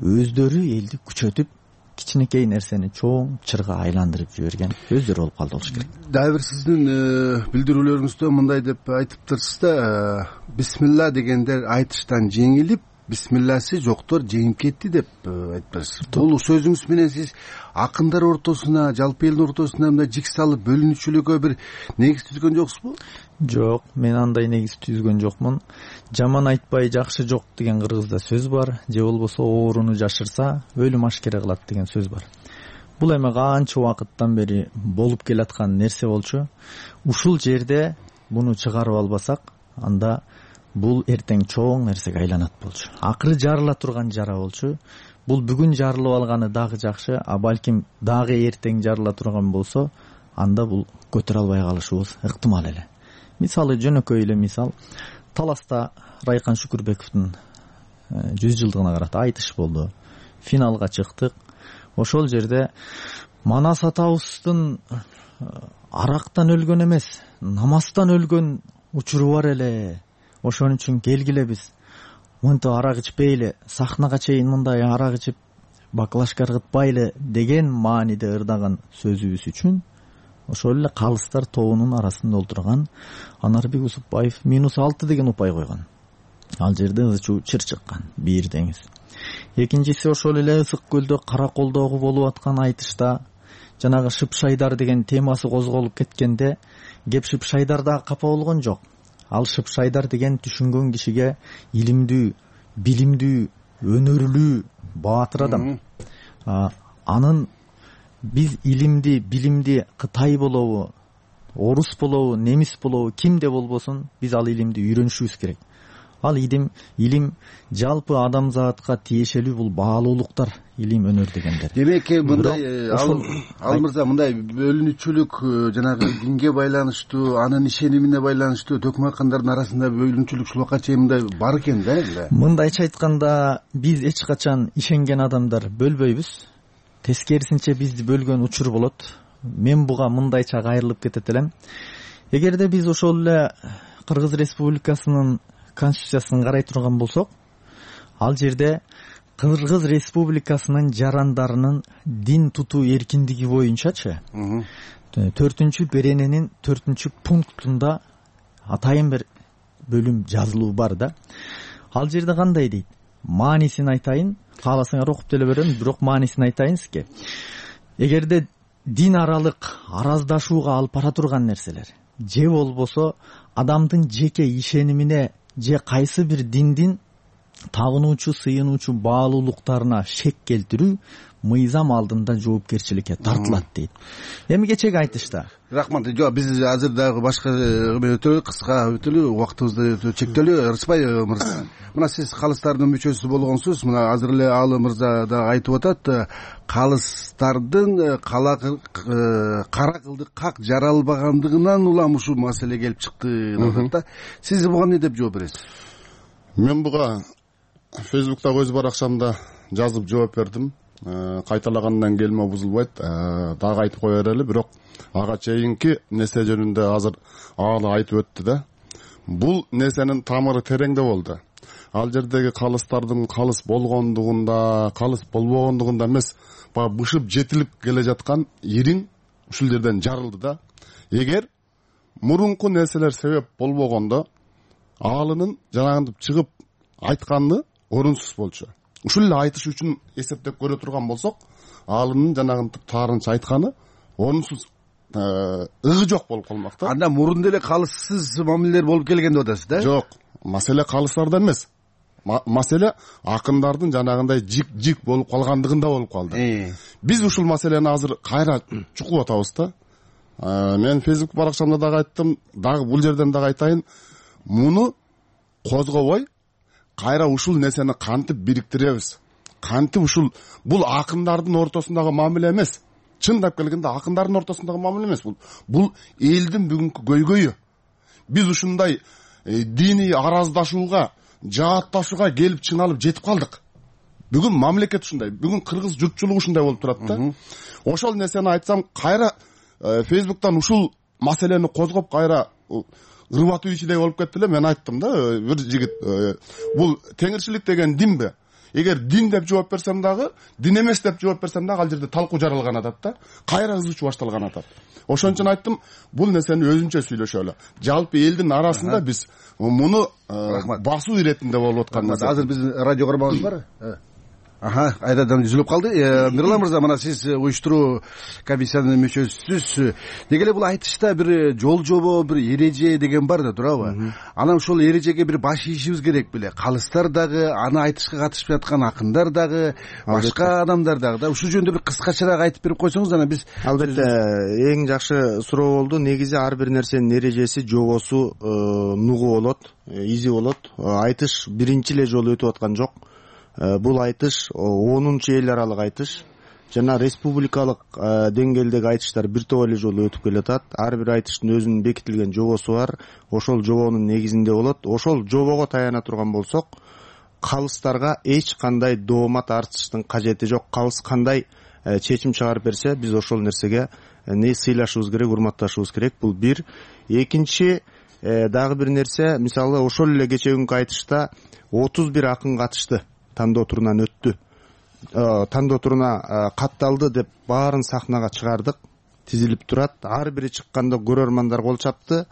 S18: өздөрү элди күчөтүп, кичинекей нерсени чоң чырга айландырып жиберген өздөрү болуп калды болуш керек.
S17: Дагы бир сиздин билдирүүлөрүңүздө мындай деп айтыптырсыз да, бисмилла дегендер айтыштан жеңилип, бисмилласы жоктор жеңип кетти деп айтыптырсыз. Бул сөзүңүз менен сиз акындар ортосуна, жалпы элдин ортосуна мындай жик салып, бөлүнүүчүлүккө бир негиз түзгөн жоксузбу?
S18: Жок, мен андай негиз түзгөн жокмун. Жаман айтпай жакшы жок деген кыргызда сөз бар, же болбосо ооруну жашырса өлүм ашкере кылат деген сөз бар. Бул эми канча убакыттан бери болуп келаткан нерсе болчу. Ушул жерде буну чыгарып албасак, анда бул эртең чоң нерсеге айланат болчу. Акыры жарыла турган жара болчу. Бул бүгүн жарылып алганы дагы жакшы, а балким дагы эртең жарыла турган болсо, анда бул көтөрө албай калышыбыз ыктымал эле. Мисалы, жөнөкөй эле мисал, Таласта Райкан Шүкүрбековдун жүз жылдыгына карата айтыш болду. Финалга чыктык. Ошол жерде Манас атабыздын арактан өлгөн эмес, намаздан өлгөн учуру бар эле. Ошон үчүн келгиле биз мынтип арак ичпейли, сахнага чейин мындай арак ичип баклажка ыргытпайлы деген мааниде ырдаган сөзүбүз үчүн ошол эле калыстар тобунун арасында олтурган Анарбек Усупбаев минус алты деген упай койгон. Ал жерде ызчуу чыр чыккан, бирдеңиз. Экинчиси, ошол эле Ысык көлдө Караколдогу болуп аткан айтышта жанагы Шыпшайдар деген темасы козголуп кеткенде, кеп Шыпшайдарда капа болгон жок. Ал Шыпшайдар деген түшүнгөн кишиге илимдүү, билимдүү, өнөрлүү, баатыр адам. Анын биз илимди, билимди Кытай болобу, орус болобу, немис болобу, кимде болбосун, биз ал илимди үйрөнүшүбүз керек. Ал илим, илим жалпы адамзатка тиешелүү, бул баалуулуктар, илим, өнөр дегендер.
S17: Демек, мындай ал мырза, мындай бөлүнүүчүлүк жанагы динге байланыштуу, анын ишенимине байланыштуу төкмөкандардын арасында бөлүнүүчүлүк ушул убакка чейин мындай бар экен да.
S18: Мындайча айтканда, биз эч качан ишенген адамдар бөлбөйбүз. Тескерисинче бизди бөлгөн учур болот. Мен буга мындайча кайрылып кетет элем. Эгерде биз ошол эле Кыргыз Республикасынын конституциясын карай турган болсок, ал жерде Кыргыз Республикасынын жарандарынын дин тутуу эркиндиги боюнчачы төртүнчү берененин төртүнчү пунктунда атайын бир бөлүм жазылуу бар да. Ал жерде кандай дейт? Маанисин айтайын, кааласаңар окуп деле берем, бирок маанисин айтайын сизге. Эгерде дин аралык араздашууга алып бара турган нерселер, же болбосо адамдын жеке ишенимине же кайсы бир диндин табынуучу, сыйынуучу баалуулуктарына шек келтирүү мыйзам алдында жоопкерчиликке тартылат дейт. Эми кечеги айтышта.
S17: Рахмат. Жок, биз азыр дагы башка өтөлү, кыска өтөлү, убактыбызды чектелүү. Рыспай мырза, мына сиз калыстардын мүчөсү болгонсуз. Мына азыр эле Алы мырза да айтып атат, калыстардын кара кылдык как жаралбагандыгынан улам ушул маселе келип чыкты деп атат да. Сиз буга эмне деп жооп бересиз?
S19: Мен буга Фейсбуктагы өз баракчамда жазып жооп бердим. Кайталагандан келме бузулбайт, дагы айтып кое берели, бирок ага чейинки нерсе жөнүндө азыр Алы айтып өттү да. Бул нерсенин тамыры тереңде болду. ал жердеги калыстардын калыс болгондугунда, калыс болбогондугунда эмес, баягы бышып жетилип келе жаткан ириң ушул жерден жарылды да. Эгер мурунку нерселер себеп болбогондо, аалынын жанагынтип чыгып айтканы орунсуз болчу. Ушул эле айтыш үчүн эсептеп көрө турган болсок, аалынын жанагынтип таарынча айтканы орунсуз, ыгы жок болуп калмак да.
S17: Анда мурун деле калыссыз мамилелер болуп келген деп атасыз да?
S19: Жок, маселе калыстарда эмес. Маселе акындардын жанагындай жик-жик болуп калгандыгында болуп калды. Биз ушул маселени азыр кайра чукулуп атабыз да. Мен Facebook баракчамда дагы айттым, дагы бул жерден дагы айтайын. Муну козгобой, кайра ушул нерсени кантип бириктиребиз? Кантип ушул бул акындардын ортосундагы мамиле эмес. Чындап келгенде акындардын ортосундагы мамиле эмес бул. Бул элдин бүгүнкү көйгөйү. Биз ушундай диний араздашууга, жаатташууга келип чыңалып жетип калдык. Бүгүн мамлекет ушундай, бүгүн кыргыз журтчулугу ушундай болуп турат да. Ошол нерсени айтсам, кайра Facebook'тан ушул маселени козгоп кайра ырбатуу ичиде болуп кетти эле. Мен айттым да, бир жигит, бул теңирчилик деген динби? Эгер дин деп жооп берсем дагы, дин эмес деп жооп берсем дагы ал жерде талкуу жаралган атат да. Кайра ызычуу башталган атат. Ошон үчүн айттым, бул нерсени өзүнчө сүйлөшөлү. Жалпы элдин арасында биз муну басуу иретинде болуп аткан нерсе.
S17: Азыр биздин радио көрмөбүз бар. Аха, айдадан үзүлүп калды. Мирлан мырза, мына сиз уюштуруу комиссиянын мүчөсүсүз. Деги эле бул айтышта бир жол жобо, бир эреже деген бар да, туурабы? Анан ошол эрежеге бир баш ийишибиз керек беле. Калыстар дагы, аны айтышка катышып жаткан акындар дагы, башка адамдар дагы да. Ушул жөнүндө бир кыскачараак айтып берип койсоңуз, анан биз
S20: албетте эң жакшы суроо болду. Негизи ар бир нерсенин эрежеси, жобосу, нугу болот, изи болот. Айтыш биринчи эле жолу өтүп аткан жок. Бул айтыш онунчу эл аралык айтыш. Жана республикалык деңгээлдеги айтыштар бир топ эле жолу өтүп келатат. Ар бир айтыштын өзүнүн бекитилген жобосу бар. Ошол жобонун негизинде болот. Ошол жобого таяна турган болсок, калыстарга эч кандай доомат артыштын кажети жок. Калыс кандай чечим чыгарып берсе, биз ошол нерсеге не сыйлашыбыз керек, урматташыбыз керек. Бул бир. Экинчи дагы бир нерсе, мисалы ошол эле кечеги айтышта отуз бир акын катышты. Тандоо турунан өттү. Тандоо туруна катталды деп баарын сахнага чыгардык. Тизилип турат. Ар бири чыкканда көрөрмандар кол чапты.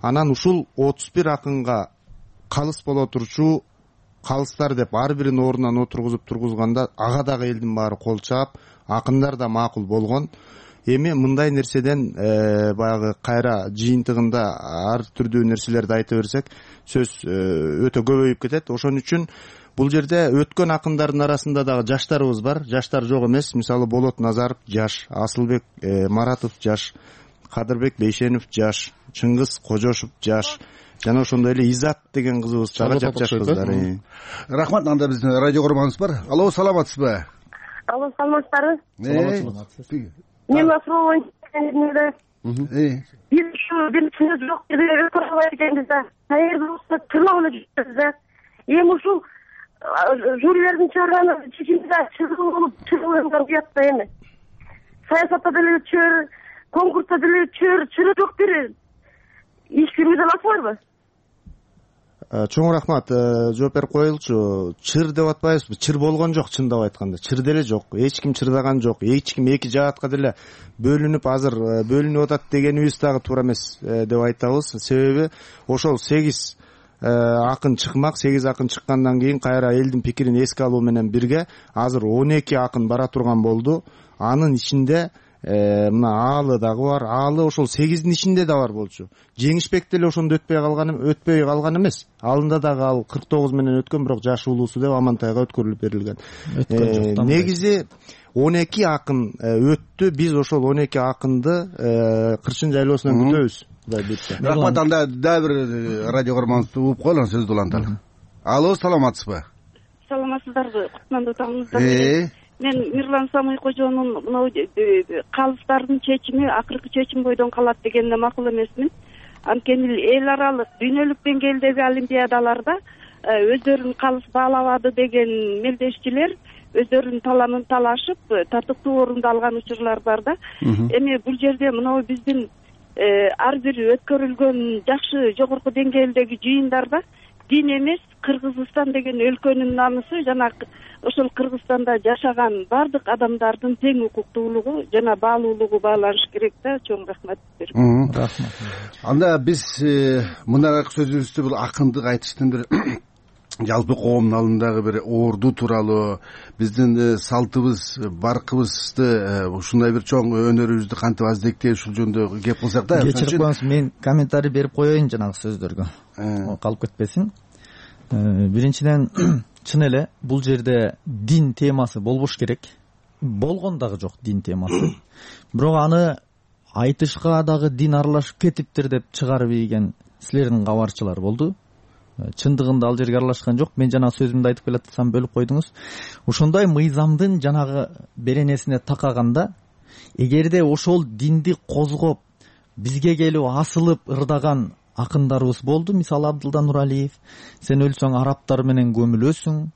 S20: Анан ушул отуз бир акынга калыс боло турчу калыстар деп ар бирин ордунан отургузуп тургузганда ага дагы элдин баары кол чаап, акындар да макул болгон. Эми мындай нерседен баягы кайра жыйынтыгында ар түрдүү нерселерди айта берсек, сөз өтө көбөйүп кетет. Ошон үчүн бул жерде өткөн акындардын арасында дагы жаштарыбыз бар. Жаштар жок эмес. Мисалы Болот Назаров жаш, Асылбек Маратов жаш, Кадырбек Бейшенов жаш, Чыңгыз Кожошов жаш, жана ошондой эле Изат деген кызыбыз дагы жапжаш кыздар.
S17: Рахмат. Анда биздин радио көрмөбүз бар. Алло, саламатсызбы?
S21: Алло, саламатсыздарбы?
S17: Саламатсызбы.
S21: Мен суроо боюнча бир бир сөз жок деп көрөбөй экенбиз да. Каерде болсо тырмагына жүрөбүз да. Эми ушул жюрилердин чыгарганы чечимде чыгуу болуп чыгуудан уят да эми. Саясатта деле чөр, конкурста деле чөр, чыры жок бир иш жүргүзө аласызбарбы?
S20: Чоң рахмат. Жооп берип коелучу. Чыр деп атпайбызбы? Чыр болгон жок, чындап айтканда. Чыр деле жок. Эч ким чырдаган жок. Эч ким эки жаатка деле бөлүнүп азыр бөлүнүп атат дегенибиз дагы туура эмес деп айтабыз. Себеби ошол сегиз акын чыкмак, сегиз акын чыккандан кийин кайра элдин пикирин эске алуу менен бирге азыр он эки акын бара турган болду. Анын ичинде мына аалы дагы бар. Аалы ошол сегиздин ичинде да бар болчу. Жеңишбек деле ошондо өтпөй калган, өтпөй калган эмес. Алында дагы ал кырк тогуз менен өткөн, бирок жаш улуусу деп Амантайга өткөрүлүп берилген. Негизи он эки акын өттү. Биз ошол он эки акынды Кырчын жайлоосунан күтөбүз.
S17: Рахмат. Анда дагы бир радио көрмөбүздү угуп коелу, сөздү уланталы. Алло, саламатсызбы?
S21: Саламатсыздарбы? Кутмандуу таңыңыздар. Мен Мирлан Самый кожонун мына калыстардын чечими акыркы чечим бойдон калат дегенде макул эмесмин. Анткени эл аралык, дүйнөлүк деңгээлдеги олимпиадаларда өздөрүн калыс баалабады деген мелдешчилер өздөрүнүн таланын талашып, татыктуу орунду алган учурлар бар да. Эми бул жерде мына биздин ар бир өткөрүлгөн жакшы жогорку деңгээлдеги жыйындарда дин эмес, Кыргызстан деген өлкөнүн намысы жана ошол Кыргызстанда жашаган баардык адамдардын тең укуктуулугу жана баалуулугу бааланыш керек да. Чоң рахмат берем.
S17: Рахмат. Анда биз мындай сөзүбүздү бул акындык айтыштын бир жалпы коомдун алдындагы бир орду тууралуу, биздин салтыбыз, баркыбызды, ушундай бир чоң өнөрүбүздү кантип аздектеп ушул жөнүндө кеп кылсак да.
S18: Кечирип коюңуз, мен комментарий берип коеюн жанагы сөздөргө. Калып кетпесин. Биринчиден, чын эле бул жерде дин темасы болбош керек. Болгон дагы жок дин темасы. Бирок аны айтышка дагы дин аралашып кетиптир деп чыгарып ийген силердин кабарчылар болду. Чындыгында ал жерге аралашкан жок. Мен жана сөзүмдү айтып келатсам бөлүп койдуңуз. Ошондой мыйзамдын жанагы беренесине такаганда, эгерде ошол динди козгоп, бизге келип асылып ырдаган акындарыбыз болду. Мисалы Абдылда Нуралиев, сен өлсөң арабтар менен көмүлөсүң,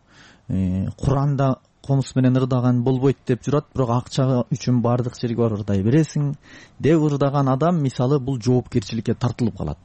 S18: Куранда комуз менен ырдаган болбойт деп жүрат, бирок акча үчүн баардык жерге барып ырдай бересиң деп ырдаган адам мисалы бул жоопкерчиликке тартылып калат.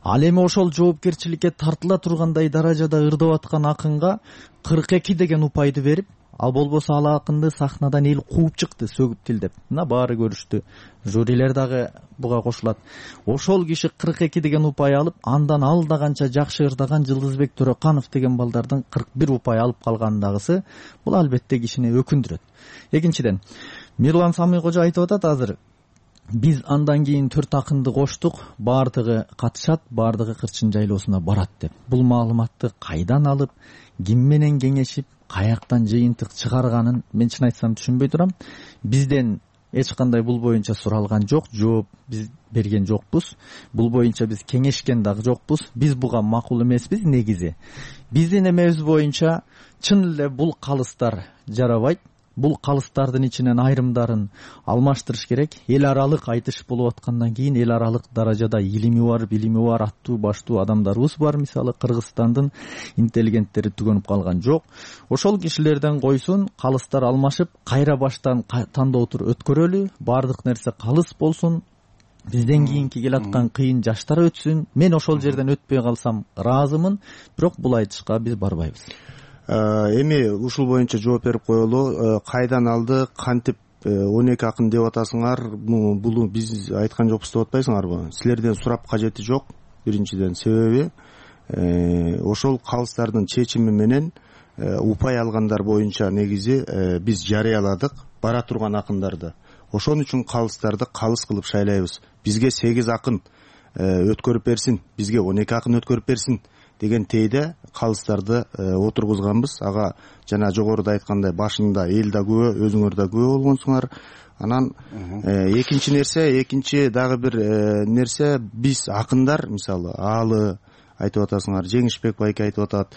S18: Ал эми ошол жоопкерчиликке тартыла тургандай даражада ырдап аткан акынга кырк эки деген упайды берип, ал болбосо ал акынды сахнадан эл кууп чыкты, сөгүп тилдеп. Мына баары көрүштү. Жюрилер дагы буга кошулат. Ошол киши кырк эки деген упай алып, андан алдаганча жакшы ырдаган Жылдызбек Төрөканов деген балдардын кырк бир упай алып калгандагысы, бул албетте кишини өкүндүрөт. Экинчиден, Мирлан Самый кожо айтып атат азыр, биз андан кийин төрт акынды коштук, баардыгы катышат, баардыгы Кырчын жайлоосуна барат деп. Бул маалыматты кайдан алып, ким менен кеңешип, каяктан жыйынтык чыгарганын мен чын айтсам түшүнбөй турам. Бизден эч кандай бул боюнча суралган жок, жооп биз берген жокпуз. Бул боюнча биз кеңешкен дагы жокпуз. Биз буга макул эмеспиз негизи. Биздин эмебиз боюнча чын эле бул калыстар жарабайт. Бул калыстардын ичинен айрымдарын алмаштырыш керек. Эл аралык айтыш болуп аткандан кийин эл аралык даражада илими бар, билими бар, аттуу баштуу адамдарыбыз бар. Мисалы Кыргызстандын интеллигенттери түгөнүп калган жок. Ошол кишилерден койсун, калыстар алмашып, кайра баштан тандоотур өткөрөлү, баардык нерсе калыс болсун. Бизден кийинки келаткан кыйын жаштар өтсүн. Мен ошол жерден өтпөй калсам ыраазымын, бирок бул айтышка биз барбайбыз.
S20: Эми ушул боюнча жооп берип коелу. Кайдан алды, кантип он эки акын деп атасыңар? Бул биз айткан жокпуз деп атпайсыңарбы? Силерден сурап кажети жок. Биринчиден себеби ошол калыстардын чечими менен упай алгандар боюнча негизи биз жарыяладык бара турган акындарды. Ошон үчүн калыстарды калыс кылып шайлайбыз. Бизге сегиз акын өткөрүп берсин, бизге он эки акын өткөрүп берсин деген тейде калыстарды отургузганбыз. Ага жана жогоруда айткандай башында эл да күбө, өзүңөр да күбө болгонсуңар. Анан экинчи нерсе, экинчи дагы бир нерсе, биз акындар, мисалы Аалы айтып атасыңар, Жеңишбек байке айтып атат.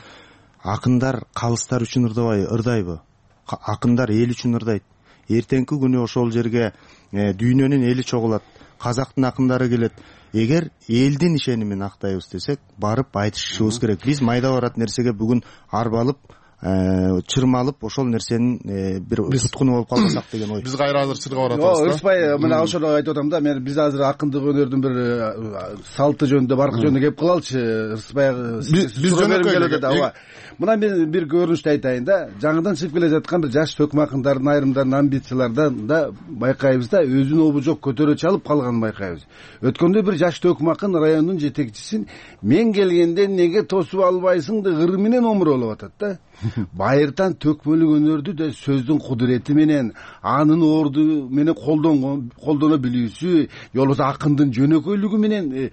S20: Акындар калыстар үчүн ырдабай, ырдайбы? Акындар эл үчүн ырдайт. Эртеңки күнү ошол жерге дүйнөнүн эли чогулат, казактын акындары келет. Эгер элдин ишенимин актайбыз десек, барып айтышыбыз керек. Биз майда барат нерсеге бүгүн арбалып, чырмалып, ошол нерсенин бир туткуну болуп калбасак деген ой.
S17: Биз кайра азыр чырга баратабыз да. Ырыспай, мына ошону айтып атам да. Мен биз азыр акындык өнөрдүн бир салты жөнүндө, баркы жөнүндө кеп калалычы. Ырыспай биз жөнөкөй. Мына мен бир көрүнүштү айтайын да. Жаңыдан чыгып келе жаткан бир жаш төкмө акындардын айрымдарын амбициялардан да байкайбыз да, өзүн обу жок көтөрө чалып калганын байкайбыз. Өткөндө бир жаш төкмө акын райондун жетекчисин мен келгенде неге тосуп албайсың деп ыры менен омуролуп атат да. Байыртан төкмөлүк өнөрдү да сөздүн кудурети менен, анын орду менен колдонгон, колдоно билүүсү, же болбосо акындын жөнөкөйлүгү менен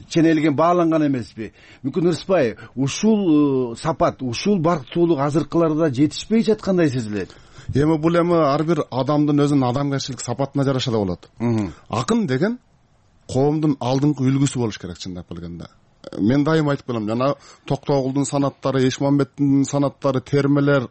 S17: ченелген, бааланган эмеспи? Мүмкүн Ырыспай, ушул сапат, ушул барктуулук азыркыларда жетишпей жаткандай сезилет.
S19: Эми бул эми ар бир адамдын өзүнүн адамгерчилик сапатына жараша да болот. Акын деген коомдун алдыңкы үлгүсү болуш керек, чындап келгенде. Мен дайым айтып келем, жана Токтогулдун санаттары, Эшмамбеттин санаттары, термелер,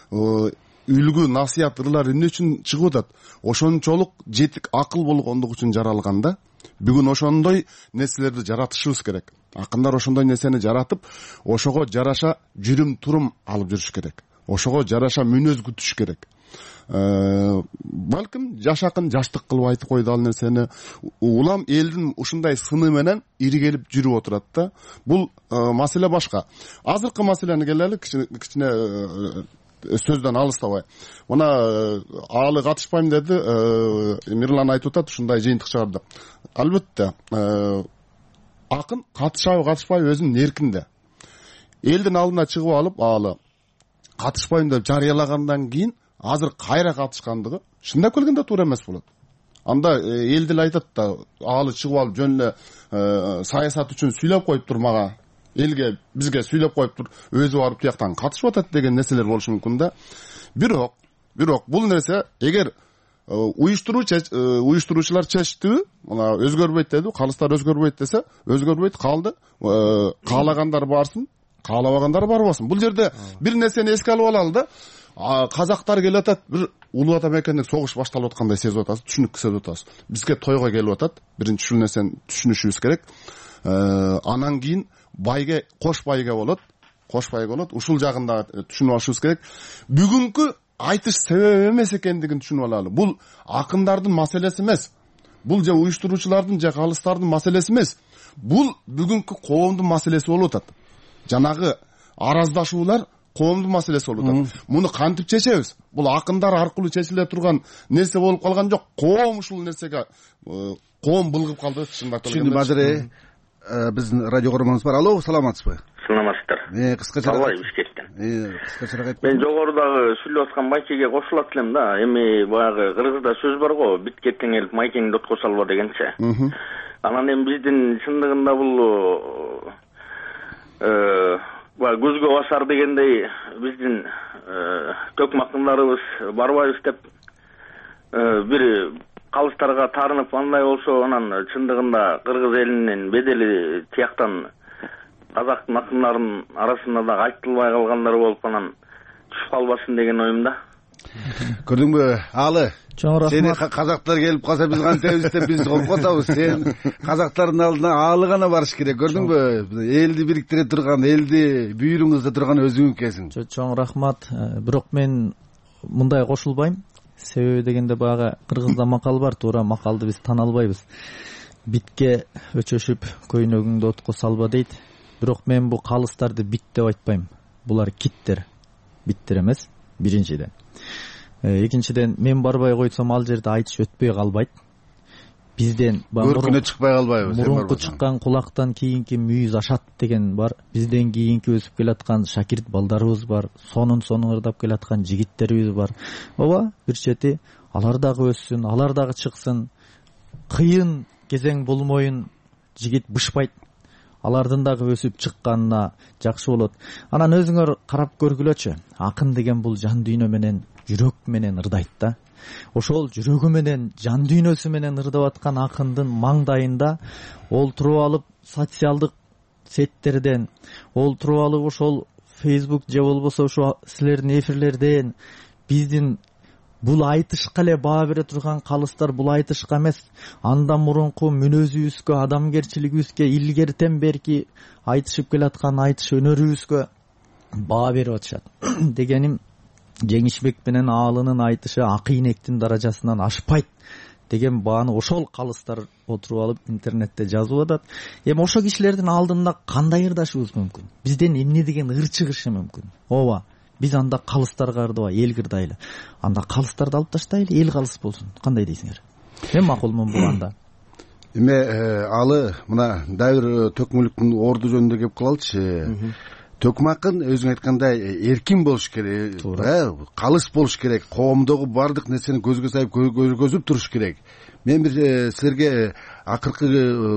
S19: үлгү, насыят, ырлар эмне үчүн чыгып атат? Ошончолук жетик акыл болгондук үчүн жаралган да. Бүгүн ошондой нерселерди жаратышыбыз керек. Акындар ошондой нерсени жаратып, ошого жараша жүрүм турум алып жүрүш керек. Ошого жараша мүнөз күтүш керек. балким жашакын жаштык кылып айтып койду ал нерсени. Улам элдин ушундай сыны менен иригелип жүрүп отурат да. Бул маселе башка. Азыркы маселени келели, кичине сөздөн алыстабай. Мына алы катышпайм деди, Мирлан айтып атат, ушундай жыйынтык чыгарды. Албетте, акын катышабы катышпайбы өзүнүн эркинде. Элдин алдына чыгып алып, алы катышпайм деп жарыялагандан кийин азыр кайра катышкандыгы шындап келгенде туура эмес болот. Анда эл деле айтат да, алы чыгып алып жөн эле саясат үчүн сүйлөп коюптур мага, элге, бизге сүйлөп коюптур, өзү барып тияктан катышып атат деген нерселер болушу мүмкүн да. Бирок, бирок бул нерсе эгер уюштуруучу уюштуруучулар чечтиби, мына өзгөрбөйт деди, калыстар өзгөрбөйт десе, өзгөрбөйт, калды. Каалагандар барсын, каалабагандар барбасын. Бул жерде бир нерсени эске алып алалы да. Казактар келип атат, бир улуу ата мекендик согуш башталып аткандай сезип атасыз, түшүнүк сезип атасыз. Бизге тойго келип атат. Биринчи ушул нерсени түшүнүшүбүз керек. Анан кийин байге, кош байге болот. Кош байге болот. Ушул жагында түшүнүп алышыбыз керек. Бүгүнкү айтыш себеби эмес экендигин түшүнүп алалы. Бул акындардын маселеси эмес. Бул же уюштуруучулардын же калыстардын маселеси эмес. Бул бүгүнкү коомдун маселеси болуп атат. Жанагы араздашуулар коомдун маселеси болуп атат. Муну кантип чечебиз? Бул акындар аркылуу чечиле турган нерсе болуп калган жок. Коом ушул нерсеге коом былгып калды, чындап келгенде.
S17: Түшүндүм. Азыр биздин радио көрөрмөнүбүз бар. Алло, саламатсызбы?
S7: Саламатсыздар.
S17: Э, кыскача
S7: Албай Бишкектен.
S17: Э, кыскачараак айтып.
S7: Мен жогорудагы сүйлөп аткан майкеге кошулат элем да. Эми баягы кыргызда сөз бар го, бит кеткен келип майкеңди отко салба дегенче. Анан эми биздин чындыгында бул э көзгө басар дегендей биздин төкмакындарыбыз барбайбыз деп бир калыстарга таарынып андай болсо, анан чындыгында кыргыз элинин бедели тияктан казактын акындарынын арасында да айтылбай калгандар болуп анан түшүп калбасын деген оюмда.
S17: Көрдүңбү, Алы?
S6: Чоң рахмат.
S17: Сени казактар келип калса биз кантебиз деп биз коркутабыз. Сен казактардын алдына Алы гана барыш керек. Көрдүңбү? Элди бириктире турган, элди бүйүрүңүздө турган өзүң экенсиң.
S18: Чоң рахмат. Бирок мен мындай кошулбайм. Себеби дегенде баягы кыргызда макал бар, туура макалды биз тана албайбыз. Битке өчөшүп көйнөгүңдү отко салба дейт. Бирок мен бул калыстарды бит деп айтпайм. Булар киттер. Биттер эмес, биринчиден. Экинчиден, мен барбай койсом ал жерде айтыш өтпөй калбайт. Бизден
S17: көркүнө чыкпай калбайбыз.
S18: Мурунку чыккан кулактан кийинки мүйүз ашат деген бар. Бизден кийинки өсүп келаткан шакирт балдарыбыз бар. Сонун сонун ырдап келаткан жигиттерибиз бар. Ооба, бир чети алар дагы өссүн, алар дагы чыксын. Кыйын кезең болмоюн, жигит бышпайт. Алардын дагы өсүп чыкканына жакшы болот. Анан өзүңөр карап көргүлөчү. Акын деген бул жан дүйнө менен, жүрөк менен ырдайт да. Ошол жүрөгү менен, жан дүйнөсү менен ырдап аткан акындын маңдайында олтуруп алып социалдык сеттерден, олтуруп алып ошол Facebook же болбосо ошо силердин эфирлерден биздин бул айтышка эле баа бере турган калыстар бул айтышка эмес, андан мурунку мүнөзүбүзгө, адамгерчилигибизге, илгертен берки айтышып келаткан айтыш өнөрүбүзгө баа берип атышат. Дегеним, Жеңишбек менен Аалынын айтышы акыйнектин даражасынан ашпайт деген бааны ошол калыстар отуруп алып интернетте жазып атат. Эми ошол кишилердин алдында кандай ырдашыбыз мүмкүн? Бизден эмне деген ыр чыгышы мүмкүн? Ооба, биз анда калыстарга ырдабай эл кырдайлы. Анда калыстарды алып таштайлы, эл калыс болсун. Кандай дейсиңер? Мен макулмун бул анда.
S17: Эме Алы, мына дагы бир төкмөлүктүн орду жөнүндө кеп калалычы. Төкмакын өзүң айткандай эркин болуш керек, калыс болуш керек, коомдогу бардык нерсени көзгө сайып көргөзүп туруш керек. Мен бир силерге акыркы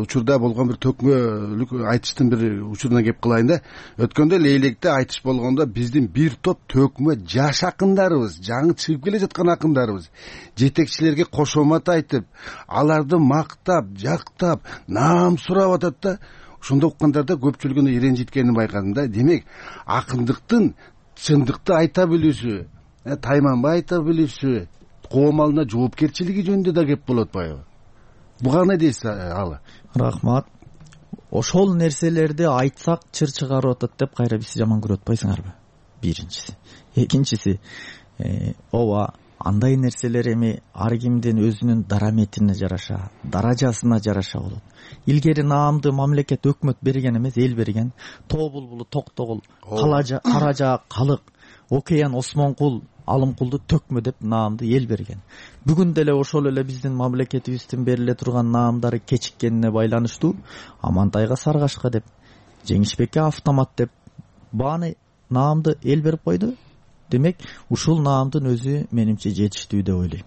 S17: учурда болгон бир төкмөлүк айтыштын бир учуруна кеп кылайын да. Өткөндө Лейлекте айтыш болгондо биздин бир топ төкмө жаш акындарыбыз, жаңы чыгып келе жаткан акындарыбыз жетекчилерге кошомат айтып, аларды мактап, жактап, наам сурап атат да. Ошондо уккандарда көпчүлүгүнө иренжиткенин байкадым да. Демек, акындыктын чындыкты айта билүүсү, тайманбай айта билүүсү, коом алдына жоопкерчилиги жөнүндө да кеп болот атпайбы? Буга эмне дейсиз, Алы?
S18: Рахмат. Ошол нерселерди айтсак чыр чыгарып атат деп кайра биз жаман көрүп атпайсыңарбы? Биринчиси. Экинчиси, ооба андай нерселер эми ар кимдин өзүнүн дараметине жараша, даражасына жараша болот. Илгери наамды мамлекет, өкмөт берген эмес, эл берген. Тоо булбулу, Токтогул, Кара Жаак, Калык, Океан, Осмонкул, Алымкулду төкмө деп наамды эл берген. Бүгүн деле ошол эле биздин мамлекетибиздин бериле турган наамдары кечиккенине байланыштуу Амантайга Саргашка деп, Жеңишбекке Автомат деп бааны наамды эл берип койду. Демек, ушул наамдын өзү менимче жетиштүү деп ойлойм.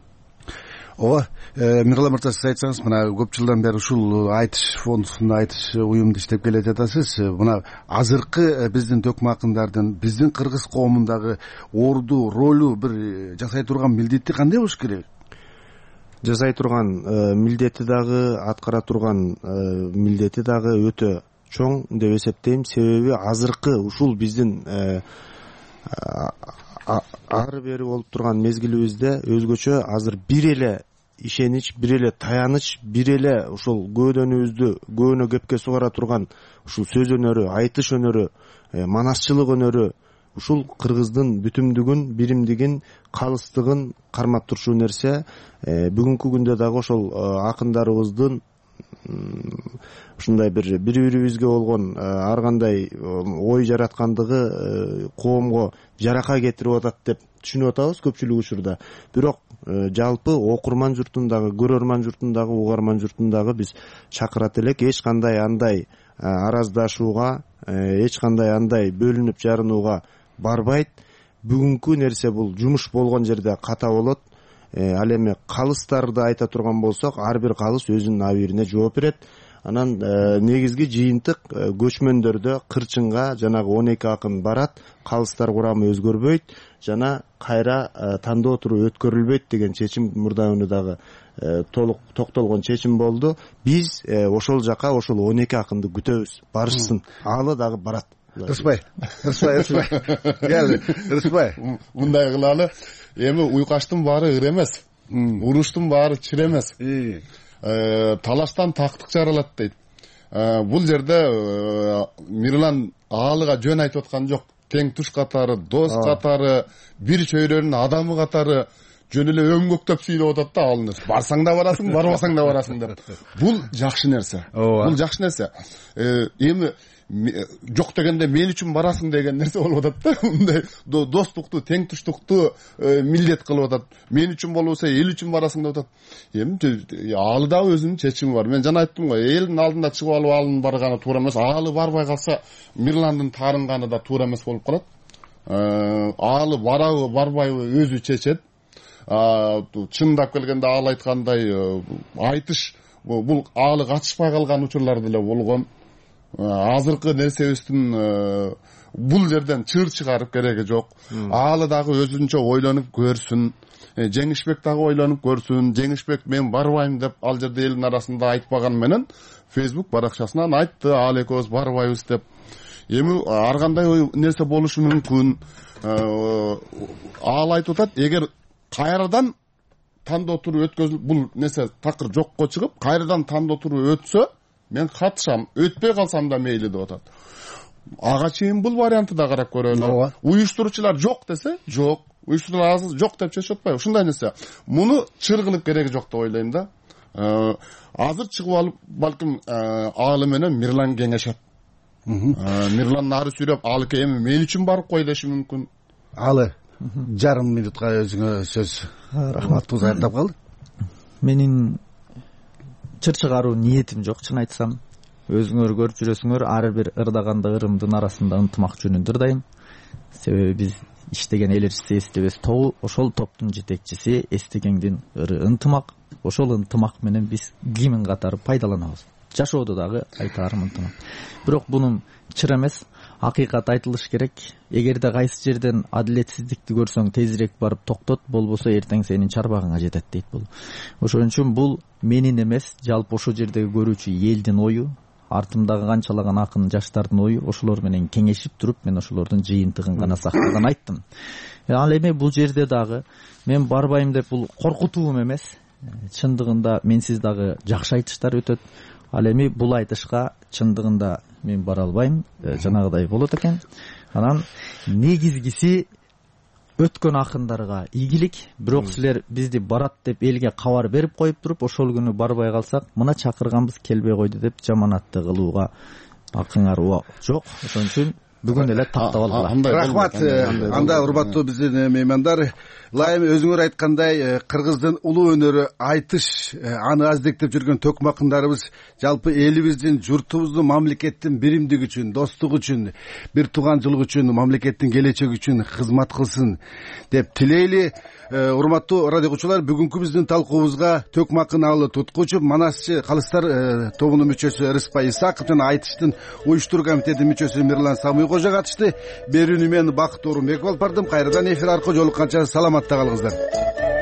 S17: ооба, Мирлан мырза, сиз айтсаңыз, мына көп жылдан бери ушул айтыш фондунда айтыш уюмду иштеп келе жатасыз. Мына азыркы биздин төкмө акындардын, биздин кыргыз коомундагы орду, ролу бир жасай турган милдети кандай болуш керек?
S20: Жасай турган милдети дагы, аткара турган милдети дагы өтө чоң деп эсептейм. Себеби азыркы ушул биздин ары бери болуп турган мезгилибизде өзгөчө азыр бир эле ишенич, бир эле таяныч, бир эле ушул көөдөнүбүздү көөнө кепке сугара турган ушул сөз өнөрү, айтыш өнөрү, манасчылык өнөрү ушул кыргыздын бүтүмдүгүн, биримдигин, калыстыгын кармап турчу нерсе. Бүгүнкү күндө дагы ошол акындарыбыздын ушундай бир бири бирибизге болгон ар кандай ой жараткандыгы коомго жарака кетирип атат деп түшүнүп атабыз көпчүлүк учурда. Бирок жалпы окурман журтун дагы, көрөрман журтун дагы, угарман журтун дагы биз чакырат элек. Эч кандай андай араздашууга, эч кандай андай бөлүнүп жарынууга барбайт. Бүгүнкү нерсе бул жумуш болгон жерде ката болот. Ал эми калыстарды айта турган болсок, ар бир калыс өзүнүн абийирине жооп берет. Анан негизги жыйынтык көчмөндөрдө кырчынга жанагы он эки акын барат, калыстар курамы өзгөрбөйт, жана кайра тандоо туруп өткөрүлбөйт деген чечим мурда уну дагы толук токтолгон чечим болду. Биз ошол жака ошол он эки акынды күтөбүз, барышсын. Алы дагы барат.
S17: Рыспай, Рыспай, Рыспай. Кел, Рыспай.
S19: Мындай кылалы. Эми уйкаштын баары ыр эмес. Уруштун баары чыр эмес. Талаштан тактык жаралат дейт. Бул жерде Мирлан аалыга жөн айтып аткан жок. Тең туш катары, дос катары, бир чөйрөнүн адамы катары жөн эле өңгөктөп сүйлөп атат да ал нерсе. Барсаң да барасың, барбасаң да барасың деп. Бул жакшы нерсе. Бул жакшы нерсе. Эми жок дегенде мен үчүн барасың деген нерсе болуп атат да. Мындай достукту, тең туштукту милдет кылып атат. Мен үчүн болбосо эл үчүн барасың деп атат. Эми алы да өзүнүн чечими бар. Мен жана айттым го, элдин алдында чыгып алып алынын барганы туура эмес. Алы барбай калса Мирландын таарынганы да туура эмес болуп калат. Алы барабы, барбайбы өзү чечет. Чындап келгенде ал айткандай айтыш бул алы катышпай калган учурлар деле болгон. Азыркы нерсебиздин бул жерден чыр чыгарып кереги жок. Алы дагы өзүнчө ойлонуп көрсүн. Жеңишбек дагы ойлонуп көрсүн. Жеңишбек мен барбайм деп ал жерде элдин арасында айтпаган менен Facebook баракчасынан айтты, ал экөөбүз барбайбыз деп. Эми ар кандай нерсе болушу мүмкүн. Ал айтып атат, эгер кайрадан тандоо туру өткөзүлүп бул нерсе такыр жокко чыгып, кайрадан тандоо туру өтсө, мен катышам, өтпөй калсам да мейли деп атат. Ага чейин бул вариантты да карап көрөлү. Уюштуруучулар жок десе, жок. Уюштуруучулар азыр жок деп чечип атпайбы? Ушундай нерсе. Муну чыр кылып кереги жок деп ойлойм да. Азыр чыгып алып, балким алы менен Мирлан кеңешет. Мирлан нары сүйлөп, алы эми мен үчүн барып кой деши мүмкүн.
S17: Алы жарым минутка өзүңө сөз. Рахмат, туз аяктап калды.
S18: Менин чыр чыгаруу ниетим жок, чын айтсам. Өзүңөр көрүп жүрөсүңөр, ар бир ырдаганда ырымдын арасында ынтымак жөнүндө ырдайм. Себеби биз иштеген эл элчиси эстебес тобу, ошол топтун жетекчиси эстегендин ыры ынтымак. Ошол ынтымак менен биз кимин катары пайдаланабыз. Жашоодо дагы айтаарым ынтымак. Бирок бунун чыр эмес, акыйкат айтылыш керек. Эгерде кайсы жерден адилетсиздикти көрсөң, тезирээк барып токтот, болбосо эртең сенин чарбагыңа жетет дейт бул. Ошон үчүн бул менин эмес, жалпы ошол жердеги көрүүчү элдин ою, артымдагы канчалаган акын жаштардын ою, ошолор менен кеңешип туруп, мен ошолордун жыйынтыгын гана сактаган айттым. Ал эми бул жерде дагы мен барбайм деп бул коркутуум эмес. Чындыгында менсиз дагы жакшы айтыштар өтөт. Ал эми бул айтышка чындыгында мен бара албайм, жанагыдай болот экен. Анан негизгиси өткөн акындарга ийгилик. Бирок силер бизди барат деп элге кабар берип коюп туруп, ошол күнү барбай калсак, мына чакырганбыз келбей койду деп жаманатты кылууга акыңар жок. Ошон үчүн бүгүн эле тактап алдылар.
S17: Рахмат. Анда урматтуу биздин меймандар, ылайым өзүңөр айткандай, кыргыздын улуу өнөрү айтыш, аны аздектеп жүргөн төкмө акындарыбыз жалпы элибиздин, журтубуздун, мамлекеттин биримдиги үчүн, достугу үчүн, бир тууганчылык үчүн, мамлекеттин келечеги үчүн кызмат кылсын деп тилейли. Урматтуу радио угуучулар, бүгүнкү биздин талкуубузга төкмө акын Алы Туткучу, Манасчы калыстар тобунун мүчөсү Рыспай Исаков жана айтыштын уюштуруу комитетинин мүчөсү Мирлан Самый кожо катышты. Берүүнү мен Бакыт Оорунбеков алып бардым. Кайрадан эфир аркылуу жолукканча саламатта калыңыздар.